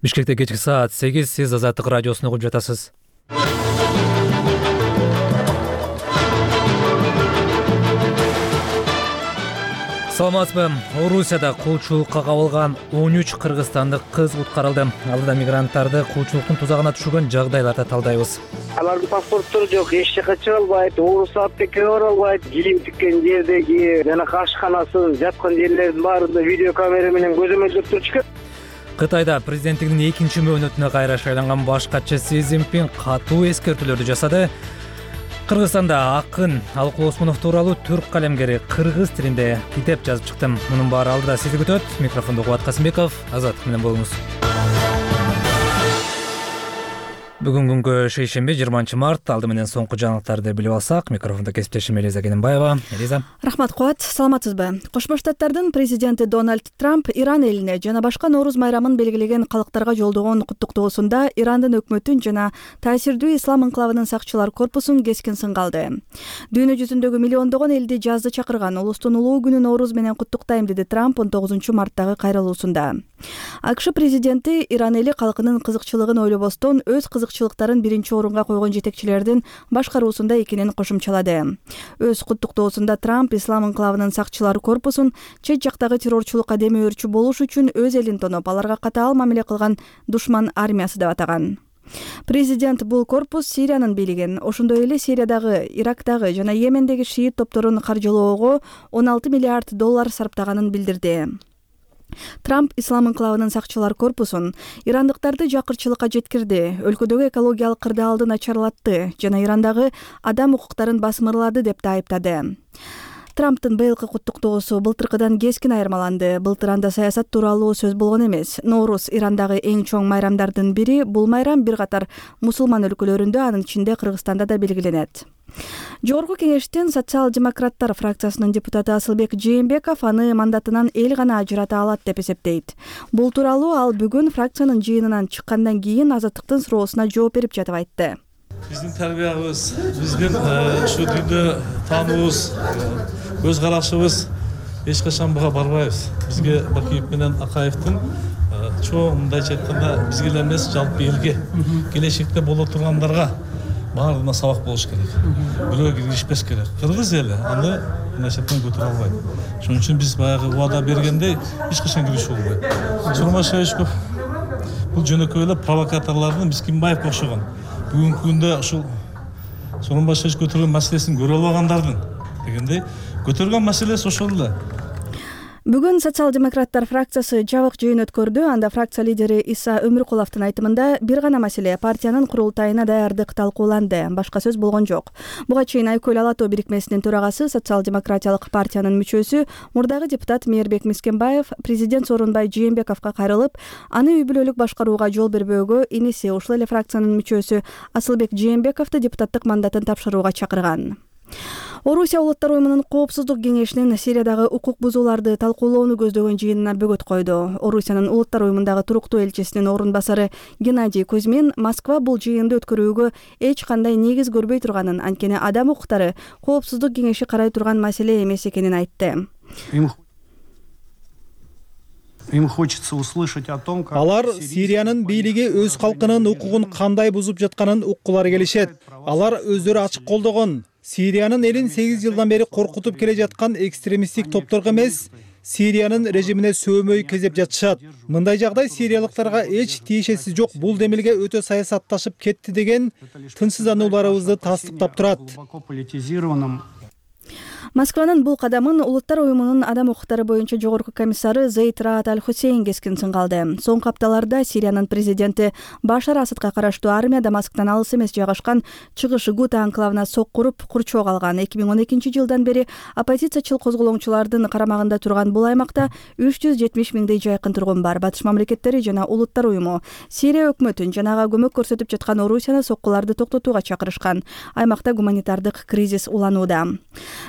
Бишкекте кечки саат 8, сиз Азаттык радиосун угуп жатасыз. Саламатсызбы? Орусияда кулчулукка кабылган 13 кыргызстандык кыз куткарылды. Алда мигранттарды кулчулуктун тузагына түшүргөн жагдайларды талдайбыз. Алардын паспорттору жок, эч жака чыга албайт, ооруз аптекке бара албайт. Кийим тиккен жердеги жана ашканасын жаткан жерлердин баарында видео камера менен көзөмөлдөп турчу. Кытайда президенттигинин 2-чи мөөнөтүнө кайра шайланган баш катчы Си Цзиньпин катуу эскертүүлөрдү жасады. Кыргызстанда акын Алыкул Осмонов тууралуу түрк калемгери кыргыз тилинде китеп жазып чыкты. Мунун баары алдыда сизди күтөт. Микрофондо Кубат Касымбеков, Азаттык менен болуңуз. Бүгүн күнгө шейшемби 20-март. Алды менен соңку жаңылыктарды билип алсак, микрофондо кесиптешим Элиза Кененбаева. Элиза. Рахмат Кубат, саламатсызбы? Кошмо Штаттардын президенти Дональд Трамп Иран элине жана башка Нооруз майрамын белгилеген калктарга жолдогон куттуктоосунда Ирандын өкмөтүн жана таасирдүү ислам инкылабынын сакчылар корпусун кескин сынга алды. Дүйнө жүзүндөгү миллиондогон элди жазды чакырган улустун улуу күнү Нооруз менен куттуктайм, деди Трамп 19-марттагы кайрылуусунда. АКШ президенти Иран эли калкынын кызыкчылыгын ойлобостон өз кызыкчылыктарын биринчи орунга койгон жетекчилердин башкаруусунда экенин кошумчалады. Өз куттуктоосунда Трамп ислам инкылабынын сакчылар корпусун чет жактагы террорчулукка демөөрчү болуш үчүн өз элин тоноп, аларга катаал мамиле кылган душман армиясы деп атаган. Президент бул корпус Сириянын бийлигин, ошондой эле Сириядагы, Ирактагы жана Йемендеги шиит топторун каржылоого $16 миллиард сарптаганын билдирди. Трамп ислам инкылабынын сакчылар корпусун ирандыктарды жакырчылыкка жеткирди, өлкөдөгү экологиялык кырдаалды начарлатты жана Ирандагы адам укуктарын басмырлады деп да айыптады. Трамптын быйылкы куттуктоосу былтыркыдан кескин айырмаланды. Былтыр анда саясат тууралуу сөз болгон эмес. Нооруз Ирандагы эң чоң майрамдардын бири. Бул майрам бир катар мусулман өлкөлөрүндө, анын ичинде Кыргызстанда да белгиленет. Жогорку кеңештин социал-демократтар фракциясынын депутаты Асылбек Жээнбеков аны мандатынан эл гана ажырата алат деп эсептейт. Бул тууралуу ал бүгүн фракциянын жыйынынан чыккандан кийин Азаттыктын суроосуна жооп берип жатып айтты. Биздин тарбиябыз, биздин ушу дүйнө таануубуз, көз карашыбыз эч качан буга барбайбыз. Бизге Бакиев менен Акаевдин чоң мындайча айтканда бизге эле эмес, жалпы элге, келечекте боло тургандарга баарына сабак болуш керек. Бирөө киргизбеш керек. Кыргыз эли аны мындайча айтканда көтөрө албайт. Ошон үчүн биз баягы убада бергендей эч качан киришип болбойт. Сурмашевичков бул жөнөкөй эле провокаторлордун Мискинбаевге окшогон. Бүгүнкү күндө ушул Сооронбашевич көтөргөн маселесин көрө албагандардын дегендей көтөргөн маселеси ошол эле. Бүгүн социал-демократтар фракциясы жабык жыйын өткөрдү. Анда фракция лидери Иса Өмүркуловдун айтымында бир гана маселе партиянын курултайына даярдык талкууланды. Башка сөз болгон жок. Буга чейин Айкөл Ала тоо бирикмесинин төрагасы, социал-демократиялык партиянын мүчөсү, мурдагы депутат Мээрбек Мискинбаев президент Сооронбай Жээнбековго кайрылып, аны үй бүлөлүк башкарууга жол бербөөгө иниси, ушул эле фракциянын мүчөсү Асылбек Жээнбековду депутаттык мандатын тапшырууга чакырган. Орусия улуттар уюмунун коопсуздук кеңешинин Сириядагы укук бузууларды талкуулоону көздөгөн жыйынына бөгөт койду. Орусиянын улуттар уюмундагы туруктуу элчисинин орун басары Геннадий Кузьмин Москва бул жыйынды өткөрүүгө эч кандай негиз көрбөй турганын, анткени адам укуктары коопсуздук кеңеши карай турган маселе эмес экенин айтты. Им хочется услышать о том, как алар Сириянын бийлиги өз калкынын укугун кандай бузуп жатканын уккулары келишет. Алар өздөрү ачык колдогон. Сириянын элин 8 жылдан бери коркутуп келе жаткан экстремисттик топторго эмес, Сириянын режимине сөөмөй кезеп жатышат. Мындай жагдай сириялыктарга эч тиешеси жок. Бул демилге өтө саясатташып кетти деген тынчсызданууларыбызды тастыктап турат. Москванын бул кадамын улуттар уюмунун адам укуктары боюнча жогорку комиссары Зейд Раат Аль-Хусейн кескин сынга алды. Соңку апталарда Сириянын президенти Башар Асадка караштуу армия Дамасктан алыс эмес жайгашкан чыгыш Гута анклавына соккуруп курчоого алган. 2012 жылдан бери оппозициячыл козголоңчулардын карамагында турган бул аймакта 370 миңдей жайкын тургун бар. Батыш мамлекеттери жана улуттар уюму Сирия өкмөтүн жанага көмөк көрсөтүп жаткан Орусияны соккуларды токтотууга чакырышкан. Аймакта гуманитардык кризис уланууда.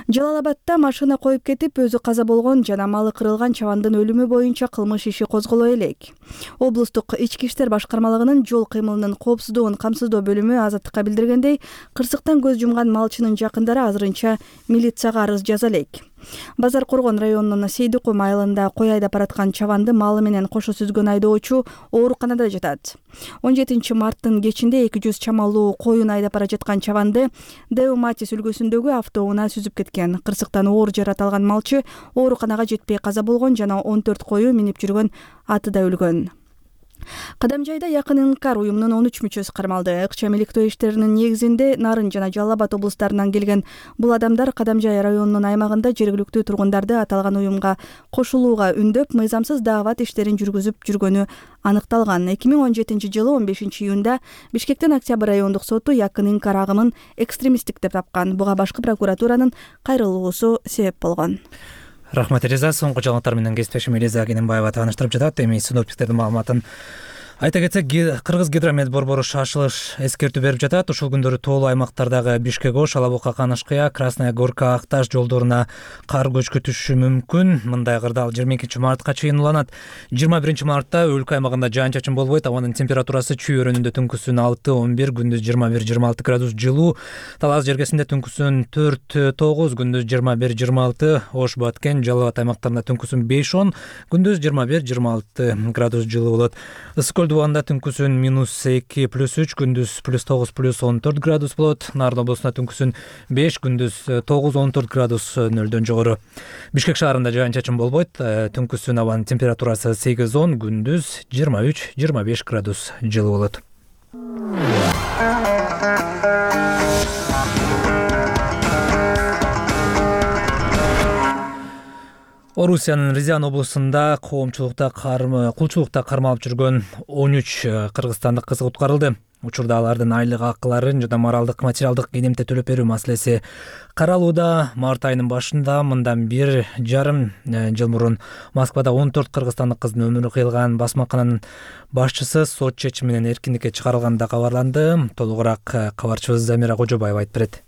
Жалалабадда машина коюп кетип, өзү каза болгон жана малы кырылган чабандын өлүмү боюнча кылмыш иши козголо элек. Облустук ички иштер башкармалыгынын жол кыймылынын коопсуздугун камсыздоо бөлүмү Азаттыкка билдиргендей, кырсыктан көз жумган малчынын жакындары азырынча милицияга арыз жаза элек. Базар Коргон районунун Сейдикум айылында кой айдап бараткан чабанды малы менен кошо сүзгөн айдоочу ооруканада жатат. 17 марттын кечинде 200 чамалуу коюн айдап бара жаткан чабанды Деуматис өлкөсүндөгү автоунаа сүзүп кеткен. Кырсыктан оор жарат алган малчы ооруканага жетпей каза болгон жана 14 кою минип жүргөн аты да өлгөн. Кадамжайда Якын Инкар уюмунун 13 мүчөсү кармалды. Ыкчам иликтөө иштеринин негизинде Нарын жана Жалал Абад облустарынан келген бул адамдар Кадамжай районунун аймагында жергиликтүү тургундарды аталган уюмга кошулууга үндөп, мыйзамсыз даават иштерин жүргүзүп жүргөнү аныкталган. 2017 жылы 15 июнда Бишкектин Октябрь райондук соту Якын Инкар агымын экстремисттик деп тапкан. Буга башкы прокуратуранын кайрылуусу себеп болгон. Рахмат Элиза. Соңку жаңылыктар менен кесиптешим Элиза Кененбаева тааныштырып жатат. Эми синоптиктердин маалыматын айта кетсек, Кыргыз гидромет борбору шашылыш эскертүү берип жатат. Ушул күндөрү тоолуу аймактардагы Бишкек-Ош, Алабука, Канашкыя, Красная Горка, Акташ жолдоруна кар көчкү түшүшү мүмкүн. Мындай кырдаал 22 мартка чейин уланат. 21 мартта өлкө аймагында жаан-чачын болбойт. Абанын температурасы Чүй өрөөнүндө түнкүсүн 6-11, күндүз 21-26 градус жылуу. Талас жергесинде түнкүсүн 4-9, күндүз 21-26, Ош, Баткен, Жалал Абад аймактарында түнкүсүн 5-10, күндүз 21-26 градус жылуу болот. Дубанда түнкүсүн -2 +3, күндүз +9 +14 градус болот. Нарын облусунда түнкүсүн 5, күндүз 9-14 градус нөлдөн жогору. Бишкек шаарында жаан-чачын болбойт. Түнкүсүн абанын температурасы 8-10, күндүз 23-25 градус жылуу болот. Орусиянын Рязань облусунда кулчулукта кармалып жүргөн 13 кыргызстандык кыз куткарылды. Учурда алардын айлык акыларын жана моралдык материалдык кенемте төлөп берүү маселеси каралууда. Март айынын башында мындан 1,5 жыл мурун Москвада 14 кыргызстандык кыздын өмүрү кыйылган басмакананын башчысы сот чечими менен эркиндикке чыгарылганда кабарланды. Толугураак кабарчыбыз Замира Кожобаева айтып берет.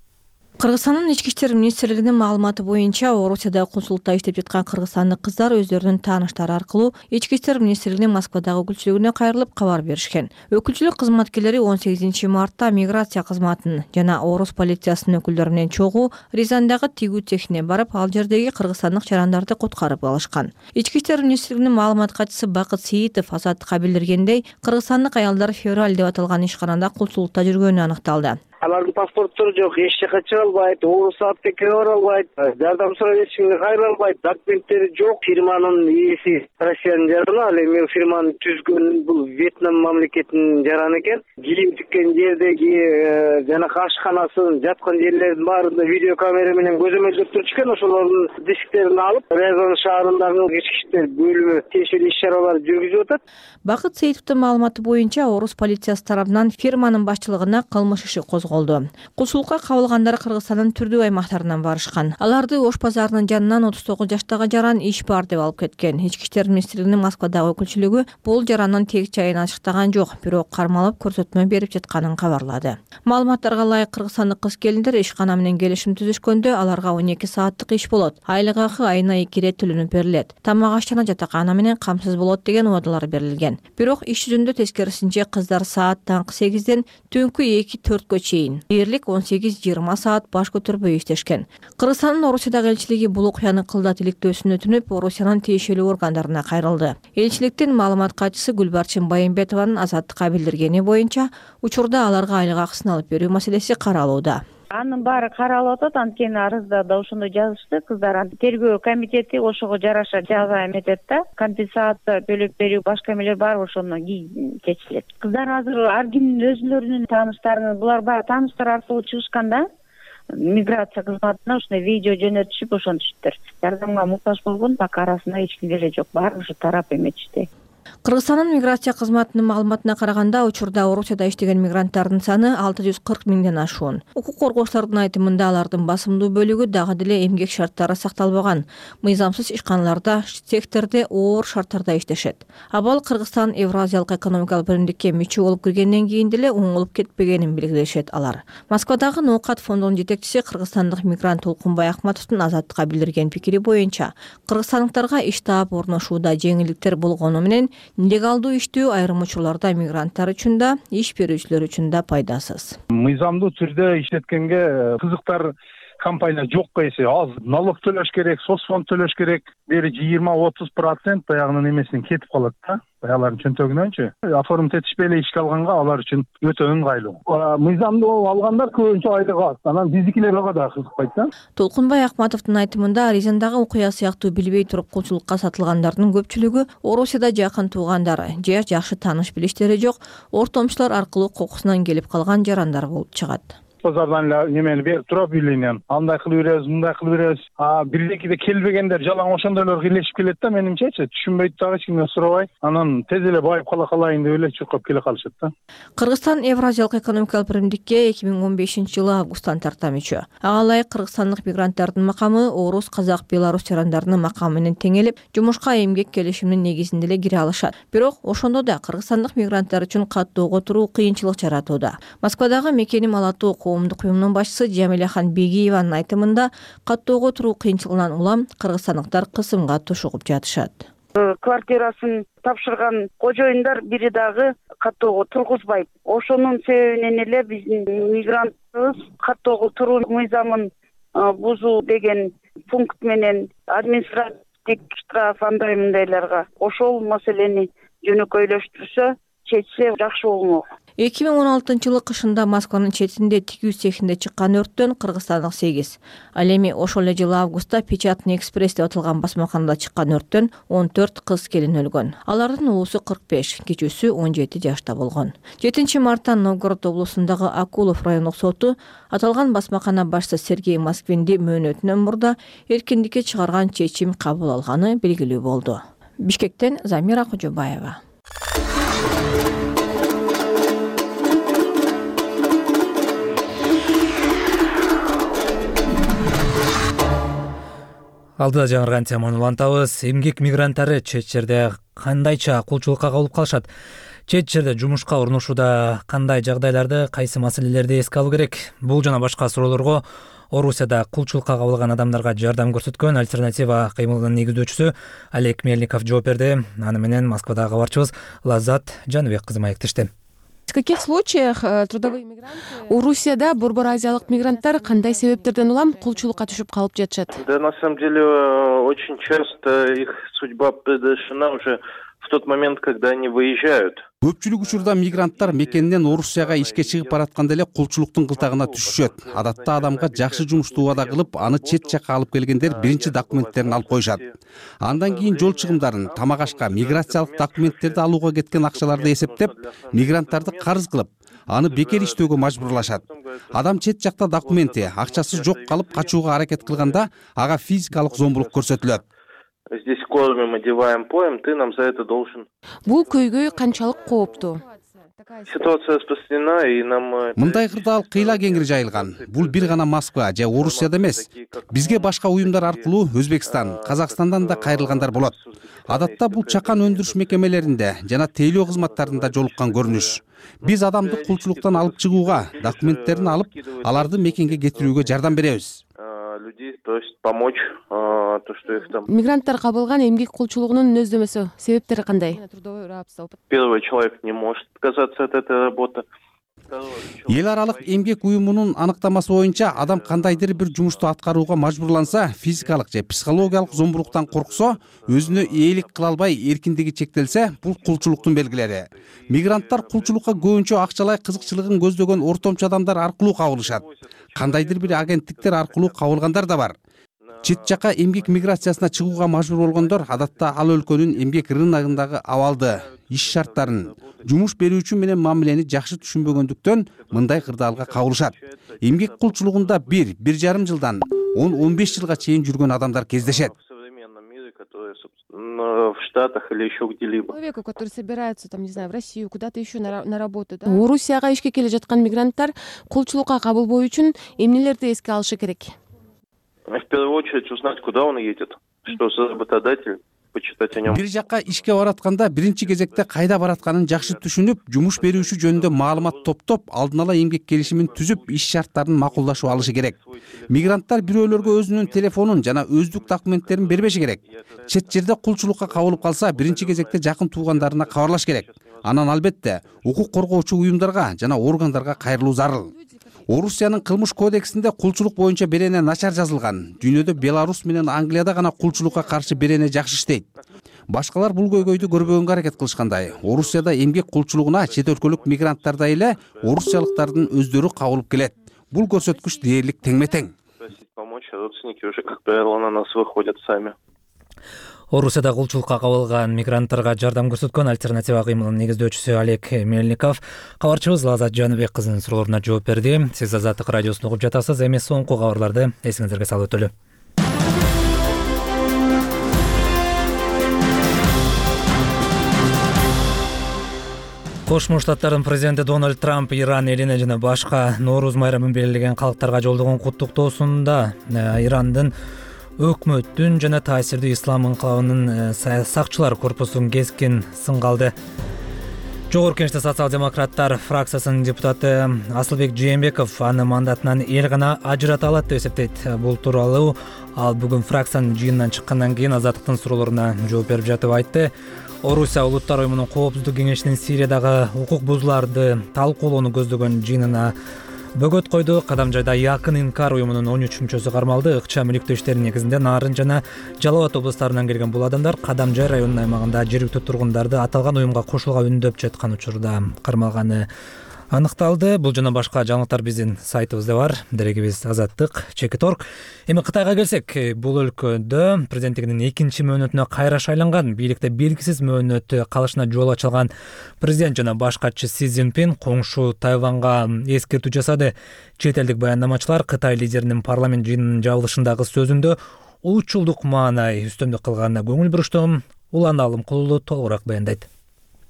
Кыргызстандын ички иштер министрлигинин маалыматы боюнча, Орусияда консулдукта иштеп жаткан кыргызстандык кыздар өздөрүнүн тааныштары аркылуу ички иштер министрлигинин Москвадагы өкүлчүлүгүнө кайрылып кабар беришкен. Өкүлчүлүк кызматкерлери 18 мартта миграция кызматынын жана Орус полициясынын өкүлдөрү менен чогуу Рязандагы тигүү цехине барып, ал жердеги кыргызстандык жарандарды куткарып алышкан. Ички иштер министрлигинин маалымат катчысы Бакыт Сейитов Азаттыкка билдиргендей, кыргызстандык аялдар февраль деп аталган ишканада консулдукта жүргөнү аныкталды. Алардын паспорттору жок, эч жака чыга албайт, орус аптекеге бара албайт, жардам сурап эчкимге кайрыла албайт, документтери жок. Фирманын ээси Россиянын жараны, ал эми фирманы түзгөн бул Вьетнам мамлекетинин жараны экен. Кийим тиккен жердеги жана ашканасын жаткан жерлердин баарында видео камера менен көзөмөлдөп турчу экен. Ошолордун дисктерин алып, Рязань шаарындагы ички иштер бөлүмү тиешелүү иш-чараларды жүргүзүп атат. Бакыт Сейитовдун маалыматы боюнча, Орус полициясы тарабынан фирманын башчылыгына кылмыш иши козголду. Кулчулукка кабылгандар Кыргызстандын түрдүү аймактарынан барышкан. Аларды Ош базарынын жанынан 39 жаштагы жаран иш бар деп алып кеткен. Ички иштер министрлигинин Москвадагы өкүлчүлүгү бул жарандын тег жайын ачыктаган жок, бирок кармалып көрсөтмө берип жатканын кабарлады. Маалыматтарга ылайык, кыргызстандык кыз келиндер ишкана менен келишим түзүшкөндө аларга 12 сааттык иш болот. Айлык акы айына 2 ирет төлөнүп берилет. Тамак аш жана жатакана менен камсыз болот деген убадалар берилген. Бирок иш жүзүндө тескерисинче кыздар саат таңкы 8ден түнкү 2-4кө чейин дээрлик 18-20 саат баш көтөрбөй иштешкен. Кыргызстандын Орусиядагы элчилиги бул окуяны кылдат иликтөөсүн өтүнүп, Орусиянын тиешелүү органдарына кайрылды. Элчиликтин маалымат катчысы Гүлбарчын Байымбетованын Азаттыкка билдиргени боюнча, учурда аларга айлык акысын алып берүү маселеси каралууда. Анын баары каралып атат, анткени арызда да ошондой жазышты. Кыздар тергөө комитети ошого жараша жаза эметет да, компенсация төлөп берүү, башка эмелер бар, ошону чечилет. Кыздар азыр ар кимдин өзүлөрүнүн тааныштарын, булар баягы тааныштар аркылуу чыгышканда миграция кызматына ушундай видео жөнөтүшүп ошентишиптир. Жардамга муктаж болгон пока арасында эч ким эле жок, баары ушу тарап эметишти. Кыргызстандын миграция кызматынын маалыматына караганда, учурда Орусияда иштеген мигранттардын саны 640 миңден ашуун. Укук коргоочулардын айтымында, алардын басымдуу бөлүгү дагы деле эмгек шарттары сакталбаган, мыйзамсыз ишканаларда, секторде оор шарттарда иштешет. Абал Кыргызстан Евразиялык экономикалык биримдикке мүчө болуп киргенден кийин деле оңолуп кетпегенин белгилешет алар. Москвадагы Ноокат фондунун жетекчиси кыргызстандык мигрант Толкунбай Акматовдун Азаттыкка билдирген пикири боюнча, кыргызстандыктарга иш таап орношууда жеңилдиктер болгону менен нелегалдуу иштөө айрым учурларда мигранттар үчүн да, иш берүүчүлөр үчүн да пайдасыз. Мыйзамдуу түрдө иштеткенге кызыктар компания жокко эсе аз налог төлөш керек, соцфонд төлөш керек. Бери 20-30% баягынын эмесинен кетип калат да. Алардын чөнтөгүнөнчү. Оформить этишпей эле ишке алганга алар үчүн өтө ыңгайлуу. Мыйзамдуу алгандар көбүнчө айлык алат. Анан биздикилер ага да кызыкпайт да. Толкунбай Акматовдун айтымында Рязандагы окуя сыяктуу билбей туруп кулчулукка сатылгандардын көпчүлүгү Орусияда жакын туугандары же жакшы тааныш билиштери жок ортомчулар аркылуу кокусунан келип калган жарандар болуп чыгат. Базардан эле немени берип туруп үйлөнүн. Андай кылып беребиз, мындай кылып беребиз. Бирдекиде келбегендер жалаң ошондойлор кийлешип келет да, менимчечи. Түшүнбөйт дагы эч кимден сурабай. Анан тез эле байып калайын деп эле чуркап келе калышат да. Кыргызстан Евразиялык экономикалык биримдикке 2015-жылы августтан тарта мүчө. Ага ылайык кыргызстандык мигранттардын макамы орус, казак, белорус жарандарынын макамы менен теңелип, жумушка эмгек келишиминин негизинде эле кире алышат. Бирок ошондо да кыргызстандык мигранттар үчүн каттоого туруу кыйынчылык жаратууда. Москвадагы Мекеним Алатуу коомдук уюмунун башчысы Жамиляхан Бегиеванын айтымында каттоого туруу кыйынчылыгынан улам кыргызстандыктар кысымга тушугуп жатышат. Квартирасын тапшырган кожоюндар бири дагы каттоого тургузбайт. Ошонун себебинен эле биздин мигранттыбыз каттоого туруу мыйзамын бузуу деген пункт менен административдик штраф андай мындайларга ошол маселени жөнөкөйлөштүрсө, чечсе жакшы болмок. 2016-жылы кышында Москванын четинде тигүү цехинде чыккан өрттөн кыргызстандык 8. Ал эми ошол эле жылы августта Печатный экспресс деп аталган басмаканада чыккан өрттөн 14 кыз келин өлгөн. Алардын улусу 45, кичүүсү 17 жашта болгон. 7 марттан Новгород облусундагы Акулов райондук соту аталган басмакана башчысы Сергей Москвинди мөөнөтүнөн мурда эркиндикке чыгарган чечим кабыл алганы белгилүү болду. Бишкектен Замира Кожобаева. Алдыда жаңырган теманы улантабыз. Эмгек мигранттары чет жерде кандайча кулчулукка кабылып калышат? Чет жерде жумушка орношууда кандай жагдайларды, кайсы маселелерди эске алуу керек? Бул жана башка суроолорго Орусияда кулчулукка кабылган адамдарга жардам көрсөткөн Альтернатива кыймылынын негиздөөчүсү Олег Мельников жооп берди. Аны менен Москвадагы кабарчыбыз Лаззат Жаныбек кызы маектешти. В каких случаях трудовые мигранты Орусияда борбор азиялык мигранттар кандай себептерден улам кулчулукка түшүп калып жатышат? Да, на самом деле очень часто их судьба предрешена уже в тот момент, когда они выезжают. Көпчүлүк учурда мигранттар мекенинен Орусияга ишке чыгып баратканда эле кулчулуктун кылтагына түшүшөт. Адатта адамга жакшы жумушту убада кылып, аны чет жакка алып келгендер биринчи документтерин алып коюшат. Андан кийин жол чыгымдарын, тамак ашка, миграциялык документтерди алууга кеткен акчаларды эсептеп, мигранттарды карыз кылып, аны бекер иштөөгө мажбурлашат. Адам чет жакта документи, акчасы жок калып качууга аракет кылганда, ага физикалык зомбулук көрсөтүлөт. Здесь кормим, одеваем, поем, ты нам за это должен. Бул көйгөй канчалык кооптуу? Ситуация распространена, и нам... Мындай кырдаал кыйла кеңири жайылган. Бул бир гана Москва же Орусияда эмес. Бизге башка уюмдар аркылуу Өзбекстан, Казакстандан да кайрылгандар болот. Адатта бул чакан өндүрүш мекемелеринде жана тейлөө кызматтарында жолуккан көрүнүш. Биз адамды кулчулуктан алып чыгууга, документтерин алып, аларды мекенге кетирүүгө жардам беребиз. Людей просят помочь, то, что их там... Мигранттар кабылган эмгек кулчулугунун өздөмөсү, себептери кандай? Первый человек не может отказаться от этой работы. Эл аралык эмгек уюмунун аныктамасы боюнча адам кандайдыр бир жумушту аткарууга мажбурланса, физикалык же психологиялык зомбулуктан корксо, өзүнө ээлик кыла албай эркиндиги чектелсе, бул кулчулуктун белгилери. Мигранттар кулчулукка көбүнчө акчалай кызыкчылыгын көздөгөн ортомчу адамдар аркылуу кабылышат. Кандайдыр бир агенттиктер аркылуу кабылгандар да бар. Чет жакка эмгек миграциясына чыгууга мажбур болгондор адатта ал өлкөнүн эмгек рыногундагы абалды, иш шарттарын, жумуш берүүчү менен мамилени жакшы түшүнбөгөндүктөн мындай кырдаалга кабылышат. Эмгек кулчулугунда 1-1,5 жылдан 10-15 жылга чейин жүргөн адамдар кездешет. В Штатах или еще где-либо. Человеку, который собирается, там, не знаю, в Россию, куда-то еще на работу, да? Орусияга ишке келе жаткан мигранттар кулчулукка кабылбоо үчүн эмнелерди эске алышы керек? В первую очередь узнать, куда он едет, что за работодатель, почитать о нем. Бир жакка ишке баратканда биринчи кезекте кайда баратканын жакшы түшүнүп, жумуш берүүчү жөнүндө маалымат топтоп, алдын ала эмгек келишимин түзүп, иш шарттарын макулдашып алышы керек. Мигранттар бирөөлөргө өзүнүн телефонун жана өздүк документтерин бербеши керек. Чет жерде кулчулукка кабылып калса, биринчи кезекте жакын туугандарына кабарлаш керек. Анан албетте укук коргоочу уюмдарга жана органдарга кайрылуу зарыл. Орусиянын кылмыш кодексинде кулчулук боюнча берене начар жазылган. Дүйнөдө Беларусь менен Англияда гана кулчулукка каршы берене жакшы иштейт. Башкалар бул көйгөйдү көрбөгөнгө аракет кылышкандай. Орусияда эмгек кулчулугуна чет өлкөлүк мигранттардай эле орусиялыктардын өздөрү кабылып келет. Бул көрсөткүч дээрлик теңме-тең. Помочь, а родственники уже, как правило, на нас выходят сами. Орусияда кулчулукка кабылган мигранттарга жардам көрсөткөн альтернатива кыймылынын негиздөөчүсү Олег Мельников кабарчыбыз Азат Жаныбек кызынын суроолоруна жооп берди. Сиз Азаттык радиосун угуп жатасыз. Эми соңку кабарларды эсиңиздерге салып өтөлү. Кошмо Штаттардын президенти Дональд Трамп Иран элине жана башка Нооруз майрамын белгилеген калктарга жолдогон куттуктоосунда Ирандын өкмөттүн жана таасирдүү ислам инкылабынын сакчылар корпусун кескин сынга алды. Жогорку Кеңеште социал-демократтар фракциясынын депутаты Асылбек Жээнбеков аны мандатынан эл гана ажырата алат деп эсептейт. Бул тууралуу ал бүгүн фракциянын жыйынынан чыккандан кийин Азаттыктын суроолоруна жооп берип жатып айтты. Орусия Улуттар уюмунун Коопсуздук кеңешинин Сириядагы укук бузууларды талкуулоону көздөгөн жыйынына бөгөт койду. Кадамжайда Якын Инкар уюмунун 13 мүчөсү кармалды. Ыкчам иликтөө иштери негизинде Нарын жана Жалал Абад облустарынан келген бул адамдар Кадамжай районунун аймагында жергиликтүү тургундарды аталган уюмга кошулууга үндөп жаткан учурда кармалганы аныкталды. Бул жана башка жаңылыктар биздин сайтыбызда бар. Дерегибиз Азаттык.org. Эми Кытайга келсек, бул өлкөдө президенттигинин экинчи мөөнөтүнө кайра шайланган, бийликте белгисиз мөөнөтү калышына жол ачылган президент жана баш катчы Си Цзиньпин коңшу Тайванга эскертүү жасады. Чет элдик баяндамачылар Кытай лидеринин парламент жыйынынын жабылышындагы сөзүндө улутчулдук маанай үстөмдүк кылганына көңүл бурушту. Улан Алымкулуу толугураак баяндайт.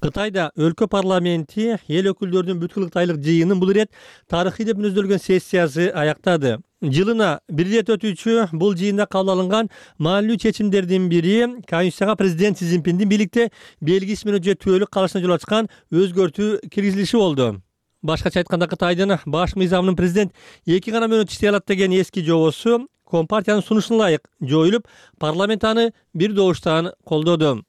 Кытайда өлкө парламенти эл өкүлдөрүнүн бүткүл Кытайлык жыйынын бул ирет тарыхый деп мүнөздөлгөн сессиясы аяктады. Жылына бир ирет өтүүчү бул жыйында кабыл алынган маанилүү чечимдердин бири Конституцияга президент Си Цзиньпиндин бийликте белгисиз мөөнөткө түбөлүк калышына жол ачкан өзгөртүү киргизилиши болду. Башкача айтканда, Кытайдын баш мыйзамынын президент 2 гана мөөнөт иштей алат деген эски жобосу Компартиянын сунушуна ылайык жоюлуп, парламент аны бир добуштан колдоду.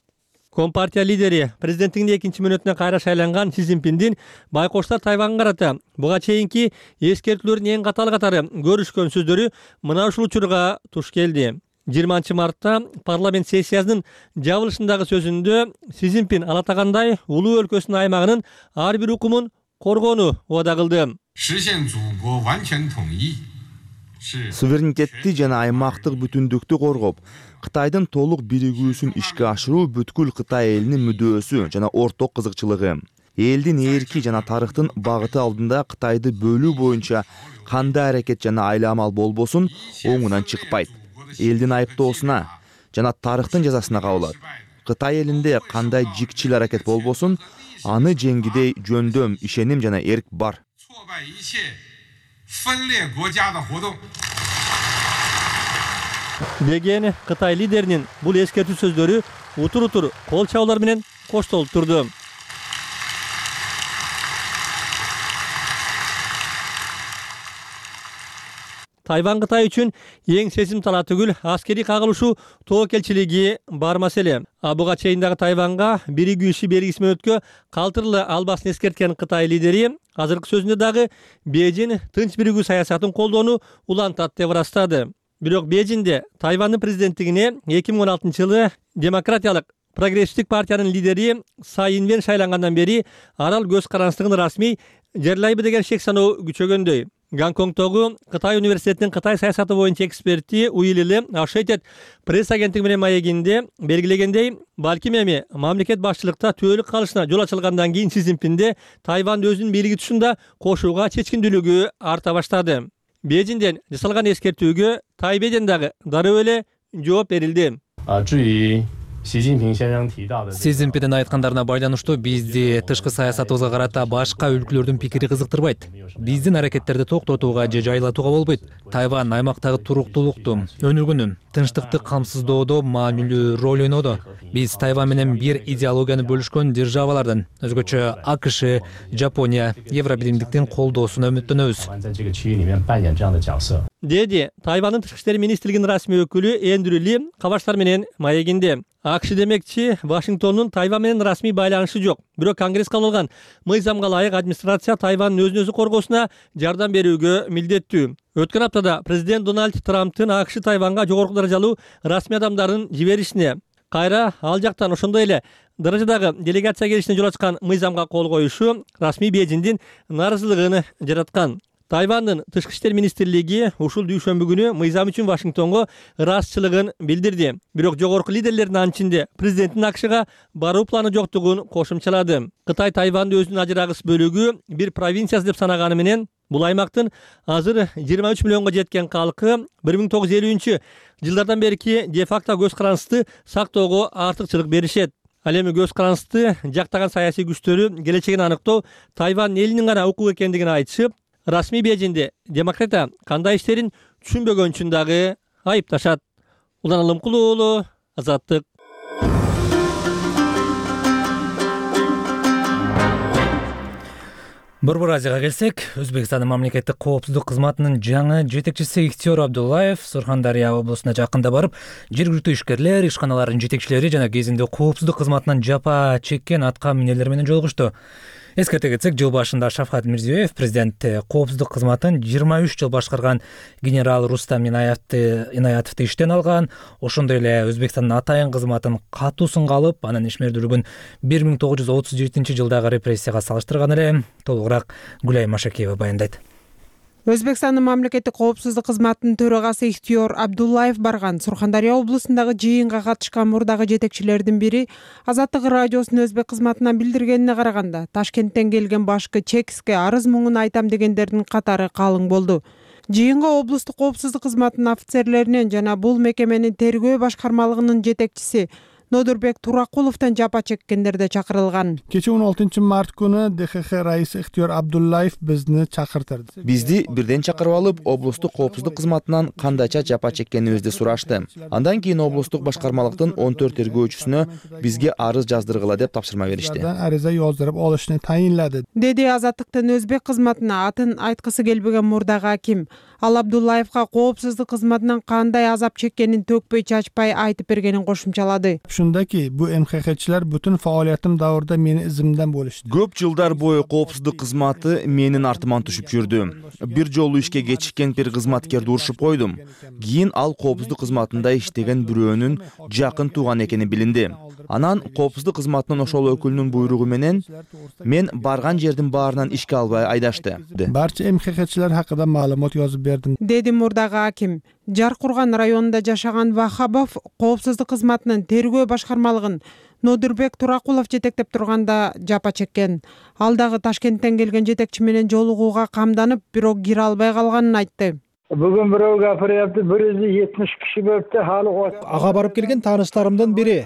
Компартия лидери президенттигинин экинчи мөөнөтүнө кайра шайланган Си Цзиньпиндин байкоштар Тайванга карата буга чейинки эскертүүлөрдүн эң катары көрүшкөн сөздөрү мына ушул учурга туш келди. 20 мартта парламент сессиясынын жабылышындагы сөзүндө Си Цзиньпин алатагандай улуу өлкөсүнүн аймагынын ар бир укумун коргоону убада кылды. Суверенитетти жана аймактык бүтүндүктү коргоп, Кытайдын толук биригүүсүн ишке ашыруу бүткүл Кытай элинин мүдөөсү жана орток кызыкчылыгы. Элдин эрки жана тарыхтын багыты алдында Кытайды бөлүү боюнча кандай аракет жана айламал болбосун оңунан чыкпайт. Элдин айыптоосуна жана тарыхтын жазасына кабылат. Кытай элинде кандай жикчил аракет болбосун, аны жеңгидей жөндөм, ишеним жана эрк бар. Деген Кытай лидеринин бул эскертүү сөздөрү утур кол чабуулар менен коштолуп турду. Тайван Кытай үчүн эң сезимтала түгүл аскерий кагылышуу тобокелчилиги бар маселе. Буга чейин дагы Тайванга биригүүчү белгисиз мөөнөткө калтырыла албасын эскерткен Кытай лидери азыркы сөзүндө дагы Бейжин тынч биригүү саясатын колдоону улантат деп ырастады. Бирок Бейжинде Тайвандын президенттигине 2016 жылы демократиялык прогрессивдик партиянын лидери Цай Инвен шайлангандан бери арал көз карандысыздыгын расмий жерлайбы деген шек саноо күчөгөндөй. Гонконгдогу Кытай университетинин Кытай саясаты боюнча эксперти Уилли Ашетет пресс агенттиги менен маегинде белгилегендей, балким эми мамлекет башчылыкта түбөлүк калышына жол ачылгандан кийин Си Цзиньпинде Тайван өзүнүн бийлиги тушунда кошууга чечкиндүүлүгү арта баштады. Бейжиңден жасалган эскертүүгө Тайбэйден дагы дароо эле жооп берилди. Си Цзиньпиндин айткандарына байланыштуу бизди тышкы саясатыбызга карата башка өлкөлөрдүн пикири кызыктырбайт. Биздин аракеттерди токтотууга же жайлатууга болбойт. Тайван аймактагы туруктуулукту, өнүгүүнү, тынчтыкты камсыздоодо маанилүү роль ойнодо. Биз Тайван менен бир идеологияны бөлүшкөн державалардан, өзгөчө АКШ, Жапония, Евробиримдиктин колдоосуна үмүттөнөбүз. деди Тайвандын тышкы иштер министрлигинин расмий өкүлү Эндрю Ли кабарчылар менен маегинде. АКШ демекчи Вашингтондун Тайвань менен расмий байланышы жок. Бирок Конгресс кабыл алган мыйзамга ылайык администрация Тайвандын өзүн өзү коргоосуна жардам берүүгө милдеттүү. Өткөн аптада президент Дональд Трамптын АКШ Тайванга жогорку даражалуу расмий адамдарын жиберишине, кайра ал жактан ошондой эле даражадагы делегация келишине жол ачкан мыйзамга кол коюшу расмий Бейжиңдин нааразылыгын жараткан. Тайвандын тышкы иштер министрлиги ушул дүйшөмбү күнү мыйзам үчүн Вашингтонго ыраазычылыгын билдирди. Бирок жогорку лидерлердин анчинде президенттин АКШга баруу планы жоктугун кошумчалады. Кытай Тайванды өзүнүн ажырагыс бөлүгү бир провинциясы деп санаганы менен бул аймактын азыр 23 миллионго жеткен калкы 1950 жылдардан берки де-факто көз карандысты сактоого артыкчылык беришет. Ал эми көз карандысты жактаган саясий күчтөрү келечегин аныктоо Тайвань элинин гана укугу экендигин айтышып, расмий Бейжиңде демократтар кандай иштерин түшүнбөгөн үчүн дагы айыпташат. Улан Алымкул уулу, Азаттык. Борбор Азияга келсек, Өзбекстандын мамлекеттик коопсуздук кызматынын жаңы жетекчиси Ихтиёр Абдуллаев Сурхандария облусуна жакында барып, жергиликтүү ишкерлер, ишканалардын жетекчилери жана кезинде коопсуздук кызматынан жапа чеккен атка минелер менен жолугушту. Эскерте кетсек, жыл башында Шавкат Мирзиёев президент коопсуздук кызматын 23 жыл башкарган генерал Рустам Инаятовду иштен алган. Ошондой эле Өзбекстандын атайын кызматын катуу сынга алып, анын ишмердүүлүгүн 1937 жылдагы репрессияга салыштырган эле. Толугураак Гүлай Машакиева баяндайт. Өзбекстандын мамлекеттик коопсуздук кызматынын төрагасы Ихтиёр Абдуллаев барган Сурхандария облусундагы жыйынга катышкан мурдагы жетекчилердин бири Азаттык радиосунун өзбек кызматынан билдиргенине караганда, Ташкенттен келген башкы чекске арыз муңун айтам дегендердин катары калың болду. Жыйынга облустук коопсуздук кызматынын офицерлеринен жана бул мекеменин тергөө башкармалыгынын жетекчиси Нодурбек Туракуловдон жапа чеккендер да чакырылган. Кече 16-март күнү ДХХ раиси Ихтиёр Абдуллаев бизди чакыртырды. Бизди бирден чакырып алып, облустук коопсуздук кызматынан кандайча жапа чеккенибизди сурашты. Андан кийин облустук башкармалыктын 14 тергөөчүсүнө бизге арыз жаздыргыла деп тапшырма беришти. Арыза жаздырып алышны тайынлады. Деди Азаттыктын өзбек кызматына атын айткысы келбеген мурдагы аким. Ал Абдуллаевга коопсуздук кызматынан кандай азап чеккенин төкпөй чачпай айтып бергенин кошумчалады. Ушундaki bu MХХчилер бүтүн фаалиятым давырда мени изимден болушты. Көп жылдар бою коопсуздук кызматы менин артыман түшүп жүрдү. Бир жолу ишке кечиккен бир кызматкерди урушуп койдум. Кийин ал коопсуздук кызматында иштеген бирөөнүн жакын тууган экени билинди. Анан коопсуздук кызматынын ошол өкүлүнүн буйругу менен мен барган жердин баарынан ишке албай айдашты. Барча MХХчилер хакында маалымат жазып бердим. Деди мурдагы аким. Жаркурган районунда жашаган Вахабов коопсуздук кызматынын тергөө башкармалыгын Нодурбек Туракулов жетектеп турганда жапа чеккен. Ал дагы Ташкенттен келген жетекчи менен жолугууга камданып, бирок кире албай калганын айтты. Бүгүн бирөө гапырыпты, 170 киши болупту, халы. Ага барып келген тааныштарымдын бири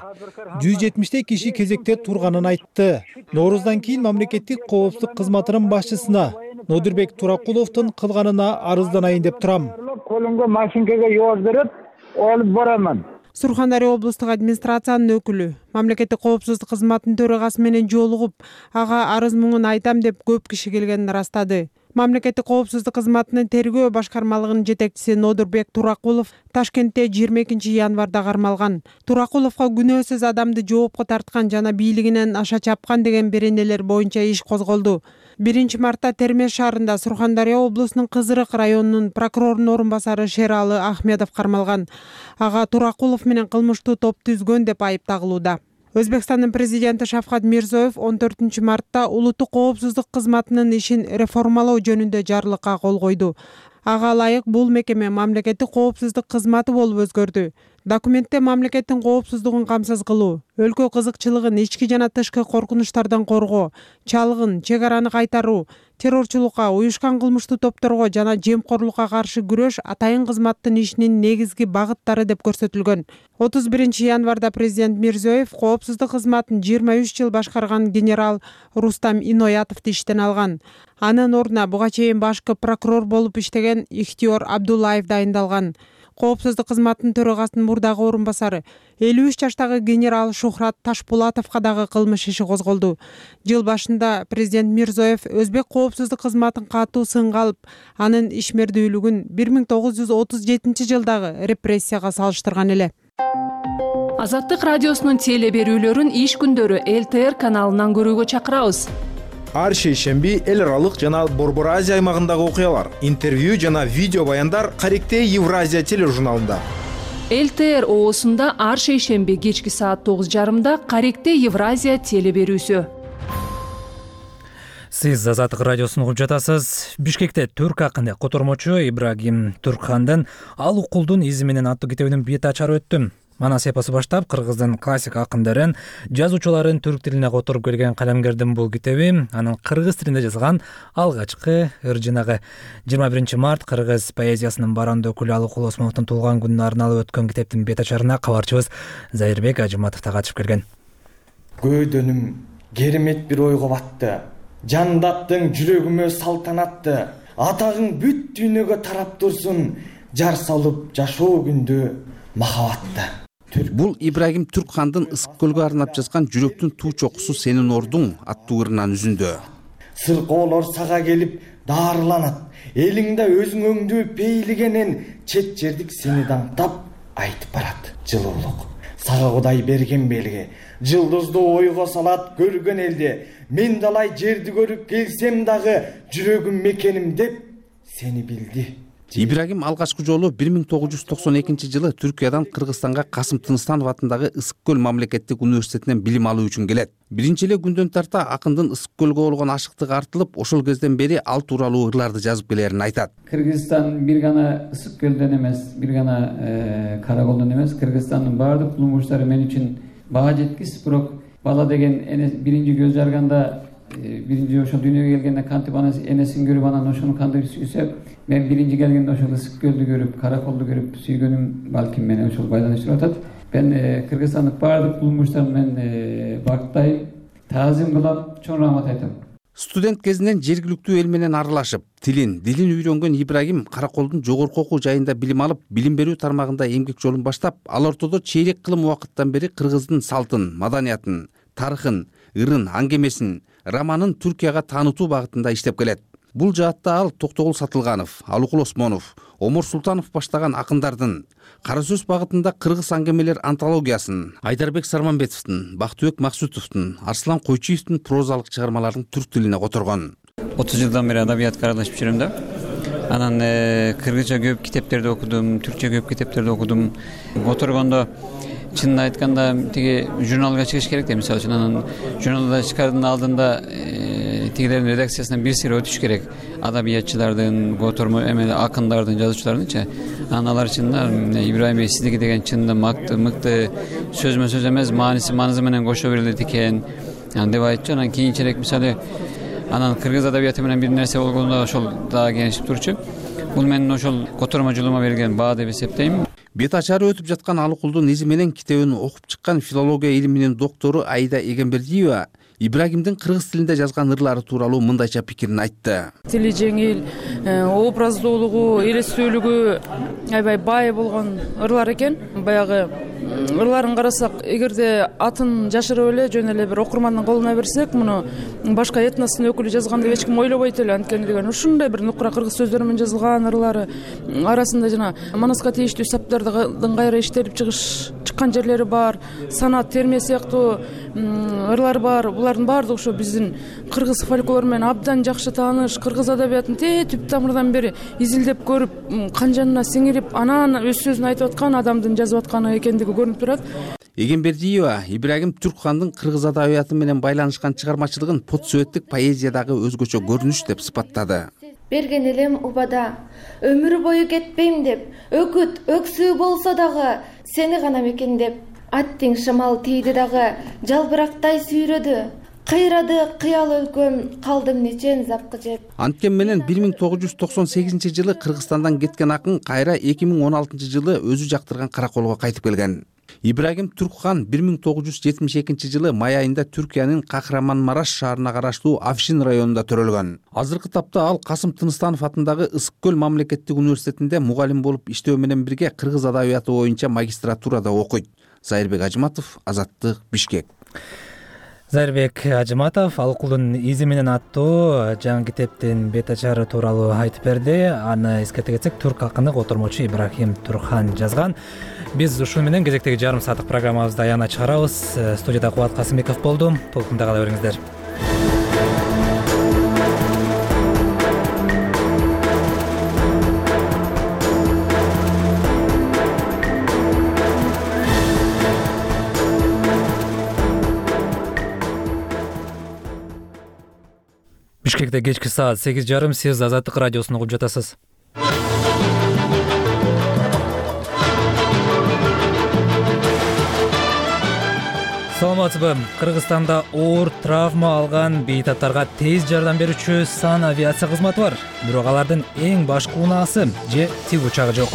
170 киши кезекте турганын айтты. Нооруздан кийин мамлекеттик коопсуздук кызматынын башчысына Нодурбек Туракуловдун кылганына арызданайын деп турам. Колумга машинкага жаздырып алып барамын. Сурхандария облустук администрациянын өкүлү мамлекеттик коопсуздук кызматынын төрагасы менен жолугуп, ага арыз муңун айтам деп көп киши келгенин ырастады. Мамлекеттик коопсуздук кызматынын тергөө башкармалыгынын жетекчиси Нодурбек Туракулов Ташкентте 22 январда кармалган. Туракуловго күнөөсүз адамды жоопко тарткан жана бийлигинен аша чапкан деген беренелер боюнча иш козголду. 1 мартта Термеш шаарында Сурхандария облусунун Кызырык районунун прокурорунун орун басары Шералы Ахмедов кармалган. Ага Туракулов менен кылмыштуу топ түзгөн деп айып тагылууда. Өзбекстандын президенти Шавкат Мирзиёев 14 мартта улуттук коопсуздук кызматынын ишин реформалоо жөнүндө жарлыкка кол койду. Ага ылайык бул мекеме мамлекеттик коопсуздук кызматы болуп өзгөрдү. Документте мамлекеттин коопсуздугун камсыз кылуу, өлкө кызыкчылыгын ички жана тышкы коркунучтардан коргоо, чалгын, чек араны кайтаруу, террорчулукка, уюшкан кылмыштуу топторго жана жемкорлукка каршы күрөш атайын кызматтын ишинин негизги багыттары деп көрсөтүлгөн. 31 январда президент Мирзиёев коопсуздук кызматын 23 жыл башкарган генерал Рустам Инаятовду иштен алган. Анын ордуна буга чейин башкы прокурор болуп иштеген Ихтиёр Абдуллаев дайындалган. коопсуздук кызматынын төрагасынын мурдагы орун басары 53 жаштагы генерал Шухрат Ташпулатовго дагы кылмыш иши козголду. Жыл башында президент Мирзоев өзбек коопсуздук кызматын катуу сынга алып, анын ишмердүүлүгүн 1937 жылдагы репрессияга салыштырган эле. Азаттык радиосунун теле берүүлөрүн иш күндөрү ЛТР каналынан көрүүгө чакырабыз. Ар шейшемби эл аралык жана Борбор Азия аймагындагы окуялар, интервью жана видео баяндар Каректе Евразия тележурналында. ЛТР оосунда ар шейшемби кечки саат 9:30 Каректе Евразия теле берүүсү. Сиз Азаттык радиосун угуп жатасыз. Бишкекте түрк акыны котормочу Ибрагим Туркхандын «Ал укулдун изи менен» аттуу китебинин бет ачары өттү. Манас эпосу баштап кыргыздын классик акындарын, жазуучуларын түрк тилине которуп келген калемгердин бул китеби анын кыргыз тилинде жазылган алгачкы ыр жинагы. 21 март кыргыз поэзиясынын баранды өкүлү Алыкул Осмоновдун туулган күнүнө арналып өткөн китептин бет ачарына кабарчыбыз Зайырбек Ажыматов да катышып келген. Көйдөнүм керемет бир ойго батты. Жандаттың жүрөгүмө салтанатты. Атагың бүт дүйнөгө тарап турсун. Жар салып жашоо күндү махабатты. Бул Ибрагим Туркхандын Ысык көлгө арнап жазган «Жүрөктүн туу чокусу сенин ордуң» аттуу ырынан үзүндү. Сыркоолор сага келип даарыланат. Элиңде өзүңөңдү пейлигенен чет жердик сени даңктап айтып барат. Жылуулук сага Кудай берген белги. Жылдызды ойго салат көргөн элде. Мен далай жерди көрүп келсем дагы жүрөгүм мекеним деп сени билди. Ибрагим алгачкы жолу 1992 жылы Түркиядан Кыргызстанга Касым Тыныстанов атындагы Ысык көл мамлекеттик университетинен билим алуу үчүн келет. Биринчи эле күндөн тарта акындын Ысык көлгө болгон ашыктыгы артылып, ошол кезден бери ал тууралуу ырларды жазып келерин айтат. Кыргызстан бир гана Ысык көлдөн эмес, бир гана Караколдон эмес, Кыргызстандын баардык улумуштары мен үчүн баа жеткис, бирок бала деген биринчи көз жарганда биринчи ошол дүйнөгө келгенде кантип энесин көрүп анан ошону кантип сүйсө, мен биринчи келгенде ошол Ысык көлдү көрүп, Караколду көрүп сүйгөнүм балким мени ошол байланыштырып атат. Мен Кыргызстандык баардык улумуштарын мен бактайм, таазим кылам, чоң рахмат айтам. Студент кезинен жергиликтүү эл менен аралашып, дилин үйрөнгөн Ибрагим Караколдун жогорку окуу жайында билим алып, билим берүү тармагында эмгек жолун баштап, ал ортодо чейрек кылым убакыттан бери кыргыздын салтын, маданиятын, тарыхын, ырын, аңгемесин, романын Түркияга таанытуу багытында иштеп келет. Бул жаатта ал Токтогул Сатылганов, Алыкул Осмонов, Омор Султанов баштаган акындардын, кара сөз багытында кыргыз аңгемелер антологиясын, Айдарбек Сарманбетовдун, Бактыбек Максутовдун, Арслан Койчиевдин прозалык чыгармаларын түрк тилине которгон. 30 жылдан бери адабиятка аралашып жүрөм да. Анан кыргызча көп китептерди окудум, түркчө көп китептерди окудум. Которгондо чынын айтканда тиги журналга чыгыш керек да, мисалы үчүн анан журналда чыгаардын алдында тигилердин редакциясынан бир сыйра өтүш керек. Адабиятчылардын, котормо акындардын, жазуучулардынчы. Анан алар чынында Ибрагим Бей сиздики деген чынында мыкты сөзмө сөз эмес, маанизы менен кошо берилет экен деп айтчу. Анан кийинчерээк мисалы анан кыргыз адабияты менен бир нерсе болгондо ошол дагы кеңешип турчу. Бул менин ошол котормочулугума берилген баа деп эсептейм. Бет ачары өтүп жаткан Алыкулдун изи менен китебин окуп чыккан филология илиминин доктору Аида Эгембердиева Ибрагимдин кыргыз тилинде жазган ырлары тууралуу мындайча пикирин айтты. Тили жеңил, образдуулугу, элестүүлүгү аябай бай болгон ырлар экен. Баягы ырларын карасак, эгерде атын жашырып эле жөн эле бир окурмандын колуна берсек, муну башка этностун өкүлү жазган деп эч ким ойлобойт эле. Анткени деген ушундай бир нукура кыргыз сөздөр менен жазылган ырлары арасында жана манаска тийиштүү саптардын кайра иштелип чыккан жерлери бар, санат, терме сыяктуу ырлар бар. Булардын баардыгы ошо биздин кыргыз фольклору менен абдан жакшы тааныш, кыргыз адабиятын түп тамырдан бери изилдеп көрүп, канжанына сиңирип, анан өз сөзүн айтып аткан адамдын жазып атканы экендиги көрүнүп турат. Эгембердиева Ибрагим Туркхандын кыргыз адабияты менен байланышкан чыгармачылыгын подсүөттүк поэзиядагы өзгөчө көрүнүш деп сыпаттады. Берген элем убада, өмүр бою кетпейм деп, өкүт, өксүү болсо дагы сени гана мекендеп, аттың шамал тийди дагы жалбырактай сүйрөдү. Кыйрады кыял өлкөм, калдым нечен запкы жеп. Анткени менен 1998 жылы Кыргызстандан кеткен акын кайра 2016 жылы өзү жактырган Караколго кайтып келген. Ибрагим Туркхан 1972 жылы май айында Түркиянын Кахраманмараш шаарына караштуу Афшин районунда төрөлгөн. Азыркы тапта ал Касым Тыныстанов атындагы Ысык көл мамлекеттик университетинде мугалим болуп иштөө менен бирге кыргыз адабияты боюнча магистратурада окуйт. Зайырбек Ажыматов, Азаттык, Бишкек. Зайырбек Ажыматов Ал кулдун изи менен аттуу жаңы китептин бет ачары тууралуу айтып берди. Аны эскерте кетсек, түрк акыны котормочу Ибрагим Туркхан жазган. Биз ушул менен кезектеги жарым сааттык программабызды аягына чыгарабыз. Студияда Кубат Касымбеков болду. Толкунда кала бериңиздер. Бишкекте кечки саат 8:30. Сиз Азаттык радиосун угуп жатасыз. Саламатсызбы? Кыргызстанда оор травма алган бейтаптарга тез жардам берүүчү сан авиация кызматы бар. Бирок алардын эң башкы унаасы же тик учагы жок.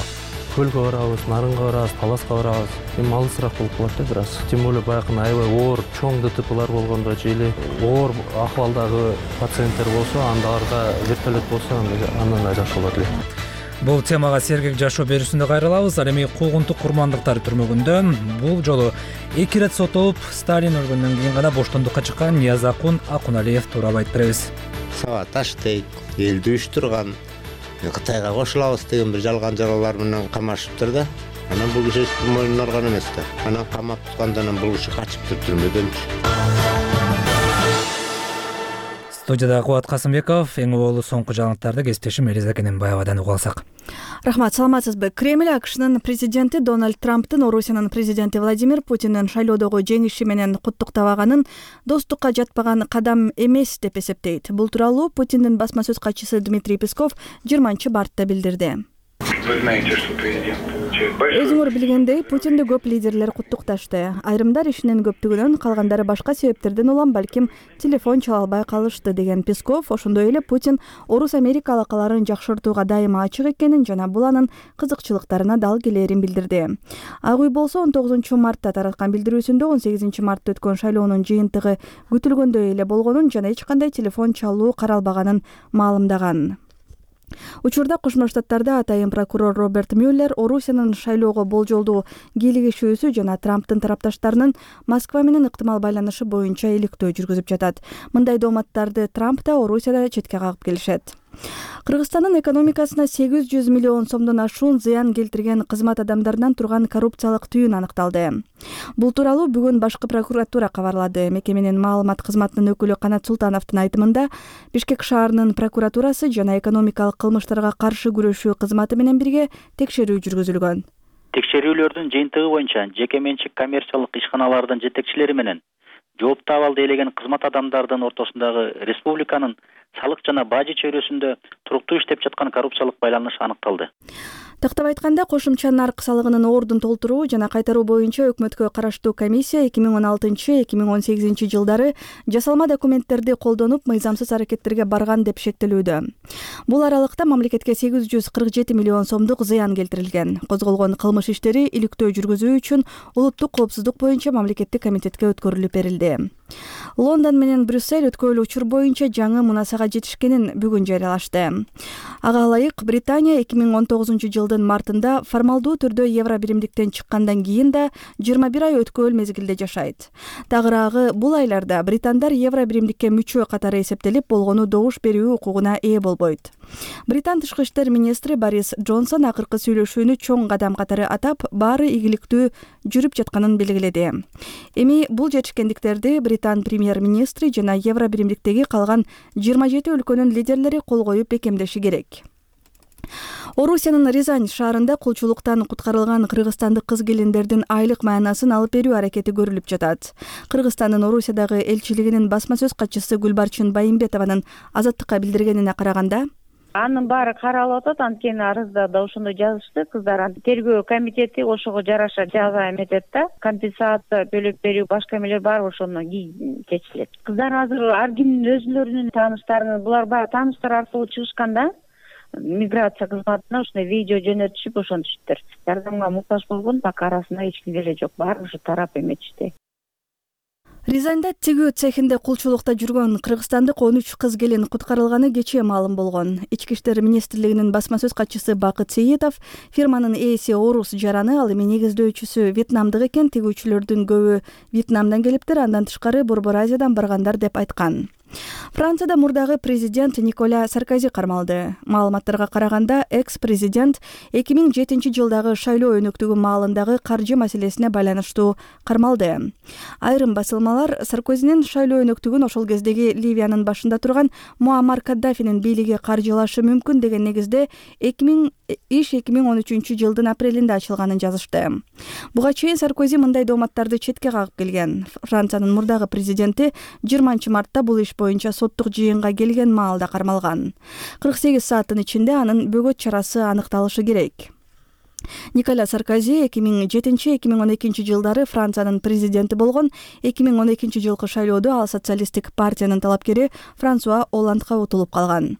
Көлгө барабыз, нарынга барабыз, паласка барабыз. Эми алысыраак болуп калат да бир аз. Тем более баягы аябай оор чоң ДТПлар болгондо же эле оор акыбалдагы пациенттер болсо, андаларга вертолет болсо андан жакшы болот эле. Бул темага сергек жашоо берүүсүндө кайрылабыз. Ал эми куугунтук курмандыктар түрмөгүндө бул жолу 2 ирет соттолуп, Сталин өлгөндөн кийин гана боштондукка чыккан Ниязакун Акуналиев тууралуу айтып беребиз. Сабаташ дейт, элди уюштурган, Кытайга кошулабыз деген бир жалган жаралар менен камашыптыр да. Анан бул киши мойнуна алган эмес да. Анан камап туткандан бул киши качыптыр түрмөдөнчү. Студияда Кубат Касымбеков, эң оболу соңку жаңылыктарды кесиптешим Элиза Кененбаевадан угуп алсак. Рахмат, саламатсызбы? Кремль АКШнын президенти Дональд Трамптын Орусиянын президенти Владимир Путиндин шайлоодогу жеңиши менен куттуктабаганын достукка жатпаган кадам эмес деп эсептейт. Бул тууралуу Путиндин басма сөз катчысы Дмитрий Песков 20-мартта билдирди. Өзүңөр билгендей, Путинди көп лидерлер куттукташты. Айрымдар ишинин көптүгүнөн, калгандары башка себептерден улам балким телефон чала албай калышты деген Песков, ошондой эле Путин Орус-Америка алакаларын жакшыртууга дайыма ачык экенин жана бул анын кызыкчылыктарына дал келерин билдирди. Ак үй болсо 19-мартта тараткан билдирүүсүндө 18-мартта өткөн шайлоонун жыйынтыгы күтүлгөндөй эле болгонун жана эч кандай телефон чалуу каралбаганын маалымдаган. Учурда Кошмо Штаттарда атайын прокурор Роберт Мюллер Орусиянын шайлоого болжолдуу кийлигишүүсү жана Трамптын тарапташтарынын Москва менен ыктымал байланышы боюнча иликтөө жүргүзүп жатат. Мындай дооматтарды Трамп да Орусияда четке кагып келишет. Кыргызстандын экономикасына 800 миллион сомдон ашуун зыян келтирген кызмат адамдарынан турган коррупциялык түйүн аныкталды. Бул тууралуу бүгүн башкы прокуратура кабарлады. Мекеменин маалымат кызматынын өкүлү Канат Султановдун айтымында, Бишкек шаарынын прокуратурасы жана экономикалык кылмыштарга каршы күрөшүү кызматы менен бирге текшерүү жүргүзүлгөн. Текшерүүлөрдүн жыйынтыгы боюнча жеке менчик коммерциялык ишканалардын жетекчилери менен жоопту абалды ээлеген кызмат адамдардын ортосундагы республиканын салык жана бажы чөйрөсүндө туруктуу иштеп жаткан коррупциялык байланыш аныкталды. Тактап айтканда, кошумча нарк салыгынын ордун толтуруу жана кайтаруу боюнча өкмөткө караштуу комиссия 2016-2018 жылдары жасалма документтерди колдонуп мыйзамсыз аракеттерге барган деп шектелүүдө. Бул аралыкта мамлекетке 847 миллион сомдук зыян келтирилген. Козголгон кылмыш иштери иликтөө жүргүзүү үчүн улуттук коопсуздук боюнча мамлекеттик комитетке өткөрүлүп берилди. Лондон менен Брюссель өткөрүлүү учур боюнча жаңы мунасага жетишкенин бүгүн жарыялашты. Ага ылайык, Британия 2019 жылдын мартында формалдуу түрдө евро биримдиктен чыккандан кийин да 21 ай өткөөл мезгилде жашайт. Тагыраагы, бул айларда британдар евро биримдикке мүчө катары эсептелип болгону добуш берүү укугуна ээ болбойт. Британ тышкы иштер министри Борис Джонсон акыркы сүйлөшүүнү чоң кадам катары атап, баары ийгиликтүү жүрүп жатканын белгиледи. Эми бул жетишкендиктерди Британ премьер-министри жана евро биримдиктеги калган 27 өлкөнүн лидерлери кол коюп бекемдеши керек. Орусиянын Рязань шаарында кулчулуктан куткарылган кыргызстандык кыз-келиндердин айлык маянасын алып берүү аракети көрүлүп жатат. Кыргызстандын Орусиядагы элчилигинин басма сөз катчысы Гүлбарчын Байымбетованын Азаттыкка билдиргенине караганда, анын баары каралып атат, анткени арызда да ошондой жазышты. Кыздар тергөө комитети ошого жараша жаза эметет да, компенсация төлөп берүү башка эмелер бар, ошону чечилет. Кыздар азыр ар кимдин өзүлөрүнүн тааныштарын, булар баягы тааныштар аркылуу чыгышкан да. миграция кызматына ушундай видео жөнөтүшүп ошентишиптир. Жардамга муктаж болгон так арасында эч ким деле жок. Баары ушу тарап эметишти. Рязанда тигүү цехинде кулчулукта жүргөн кыргызстандык 13 кыз келин куткарылганы кечээ маалым болгон. Ички иштер министрлигинин басма сөз катчысы Бакыт Сейитов фирманын ээси орус жараны, ал эми негиздөөчүсү вьетнамдык экен, тигүүчүлөрдүн көбү Вьетнамдан келиптир, андан тышкары Борбор Азиядан баргандар деп айткан. Францияда мурдагы президент Николя Саркози кармалды. Маалыматтарга караганда, экс-президент 2007-жылдагы шайлоо өнөктүгү маалындагы каржы маселесине байланыштуу кармалды. Айрым басылмалар Саркозинин шайлоо өнөктүгүн ошол кездеги Ливиянын башында турган Муаммар Каддафинин бийлиги каржылашы мүмкүн деген негизде 2013-жылдын апрелинде ачылганын жазышты. Буга чейин Саркози мындай дооматтарды четке кагып келген. Франциянын мурдагы президенти 20-мартта бул иш боюнча соттук жыйынга келген маалда кармалган. 48 сааттын ичинде анын бөгөт чарасы аныкталышы керек. Николя Саркози 2007-2012 жылдары Франциянын президенти болгон. 2012 жылкы шайлоодо ал социалисттик партиянын талапкери Франсуа Оландга утулуп калган.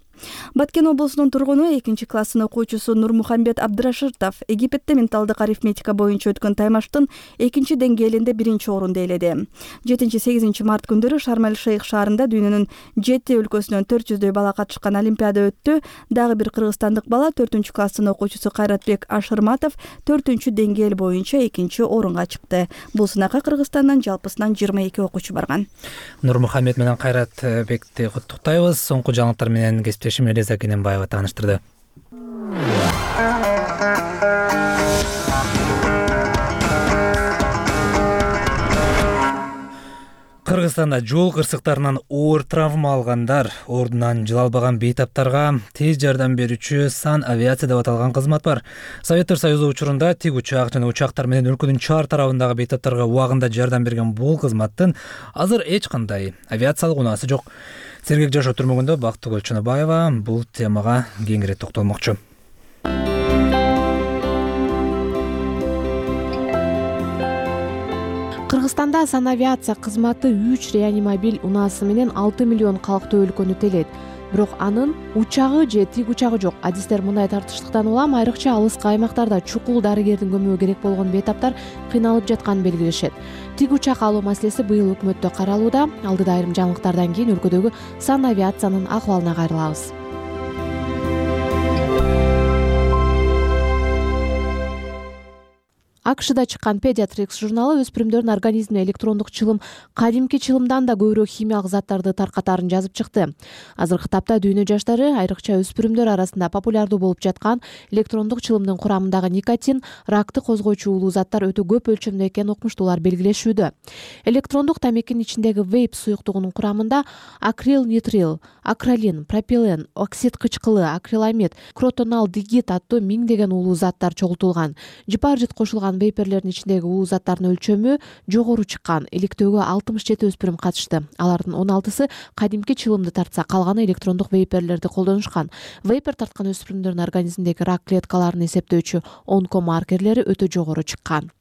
Баткен облусунун тургуну 2-класстын окуучусу Нурмухамбет Абдрашитов Египетте менталдык арифметика боюнча өткөн таймаштын 2-деңгээлинде 1-орунду ээледи. 7-8 март күндөрү Шарм-эль-Шейх шаарында дүйнөнүн 7 өлкөсүнөн 400дөй бала катышкан олимпиада өттү. Дагы бир кыргызстандык бала 4-класстын окуучусу Кайратбек Ашырматов 4-деңгээл боюнча 2-орунга чыкты. Бул сынакка Кыргызстандан жалпысынан 22 окуучу барган. Нурмухаммед менен Кайратбекти куттуктайбыз. Соңку жаңылыктар менен Элиза Кененбаева тааныштырды. Кыргызстанда жол кырсыктарынан оор травма алгандар ордунан жыла албаган бейтаптарга тез жардам берүүчү сан авиация деп аталган кызмат бар. Советтер Союзу учурунда тик учак жана учактар менен өлкөнүн чар тарабындагы бейтаптарга убагында жардам берген бул кызматтын азыр эч кандай авиациялык унаасы жок. Сергек жашоо түрмөгүндө Бактыгүл Чыныбаева бул темага кеңири токтолмокчу. Кыргызстанда санавиация кызматы 3 реанимобиль унаасы менен 6 миллион калктуу өлкөнү телейт. Бирок анын учагы же тик учагы жок. Адистер мындай тартыштыктан улам айрыкча алыскы аймактарда чукул дарыгердин көмөгү керек болгон бейтаптар кыйналып жатканын белгилешет. Тик учак алуу маселеси быйыл өкмөттө каралууда. Алдыда айрым жаңылыктардан кийин өлкөдөгү санавиациянын акыбалына кайрылабыз. АКШда чыккан Pediatrics журналы өспүрүмдөрдүн организмине электрондук чылым кадимки чылымдан да көбүрөөк химиялык заттарды таркатаарын жазып чыкты. Азыркы тапта дүйнө жаштары, айрыкча өспүрүмдөр арасында популярдуу болуп жаткан электрондук чылымдын курамындагы никотин, ракты козгоочу уулуу заттар өтө көп өлчөмдө экенин окумуштуулар белгилешүүдө. Электрондук тамекинин ичиндеги вейп суюктугунун курамында акрилнитрил, акралин, пропилен, оксид кычкылы, акриламид, кротоналдегид аттуу миңдеген уулуу заттар чогултулган. Жипаржит кошулган вейперлердин ичиндеги уулуу заттардын өлчөмү жогору чыккан. Иликтөөгө 67 өспүрүм катышты. Алардын 16сы кадимки чылымды тартса, калганы электрондук вейперлерди колдонушкан. Вейпер тарткан өспүрүмдөрдүн организмдеги рак клеткаларын эсептөөчү онкомаркерлери өтө жогору чыккан.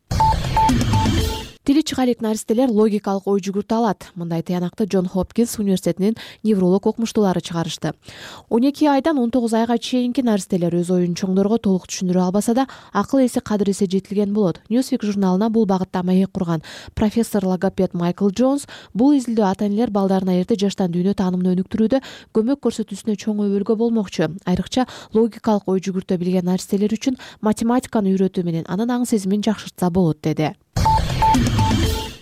Тили чыга элек наристелер логикалык ой жүгүртө алат. Мындай тыянакты Джон Хопкинс университетинин невролог окумуштуулары чыгарышты. 12 айдан 19 айга чейинки наристелер өз оюн чоңдорго толук түшүндүрө албаса да, акыл эси кадыр эсе жетилген болот. Newsweek журналына бул багытта маек курган профессор логопед Майкл Джонс бул изилдөө ата-энелер балдарына эрте жаштан дүйнө таанымын өнүктүрүүдө көмөк көрсөтүүсүнө чоң өбөлгө болмокчу. Айрыкча логикалык ой жүгүртө билген наристелер үчүн математиканы үйрөтүү менен анын аң сезимин жакшыртса болот, деди.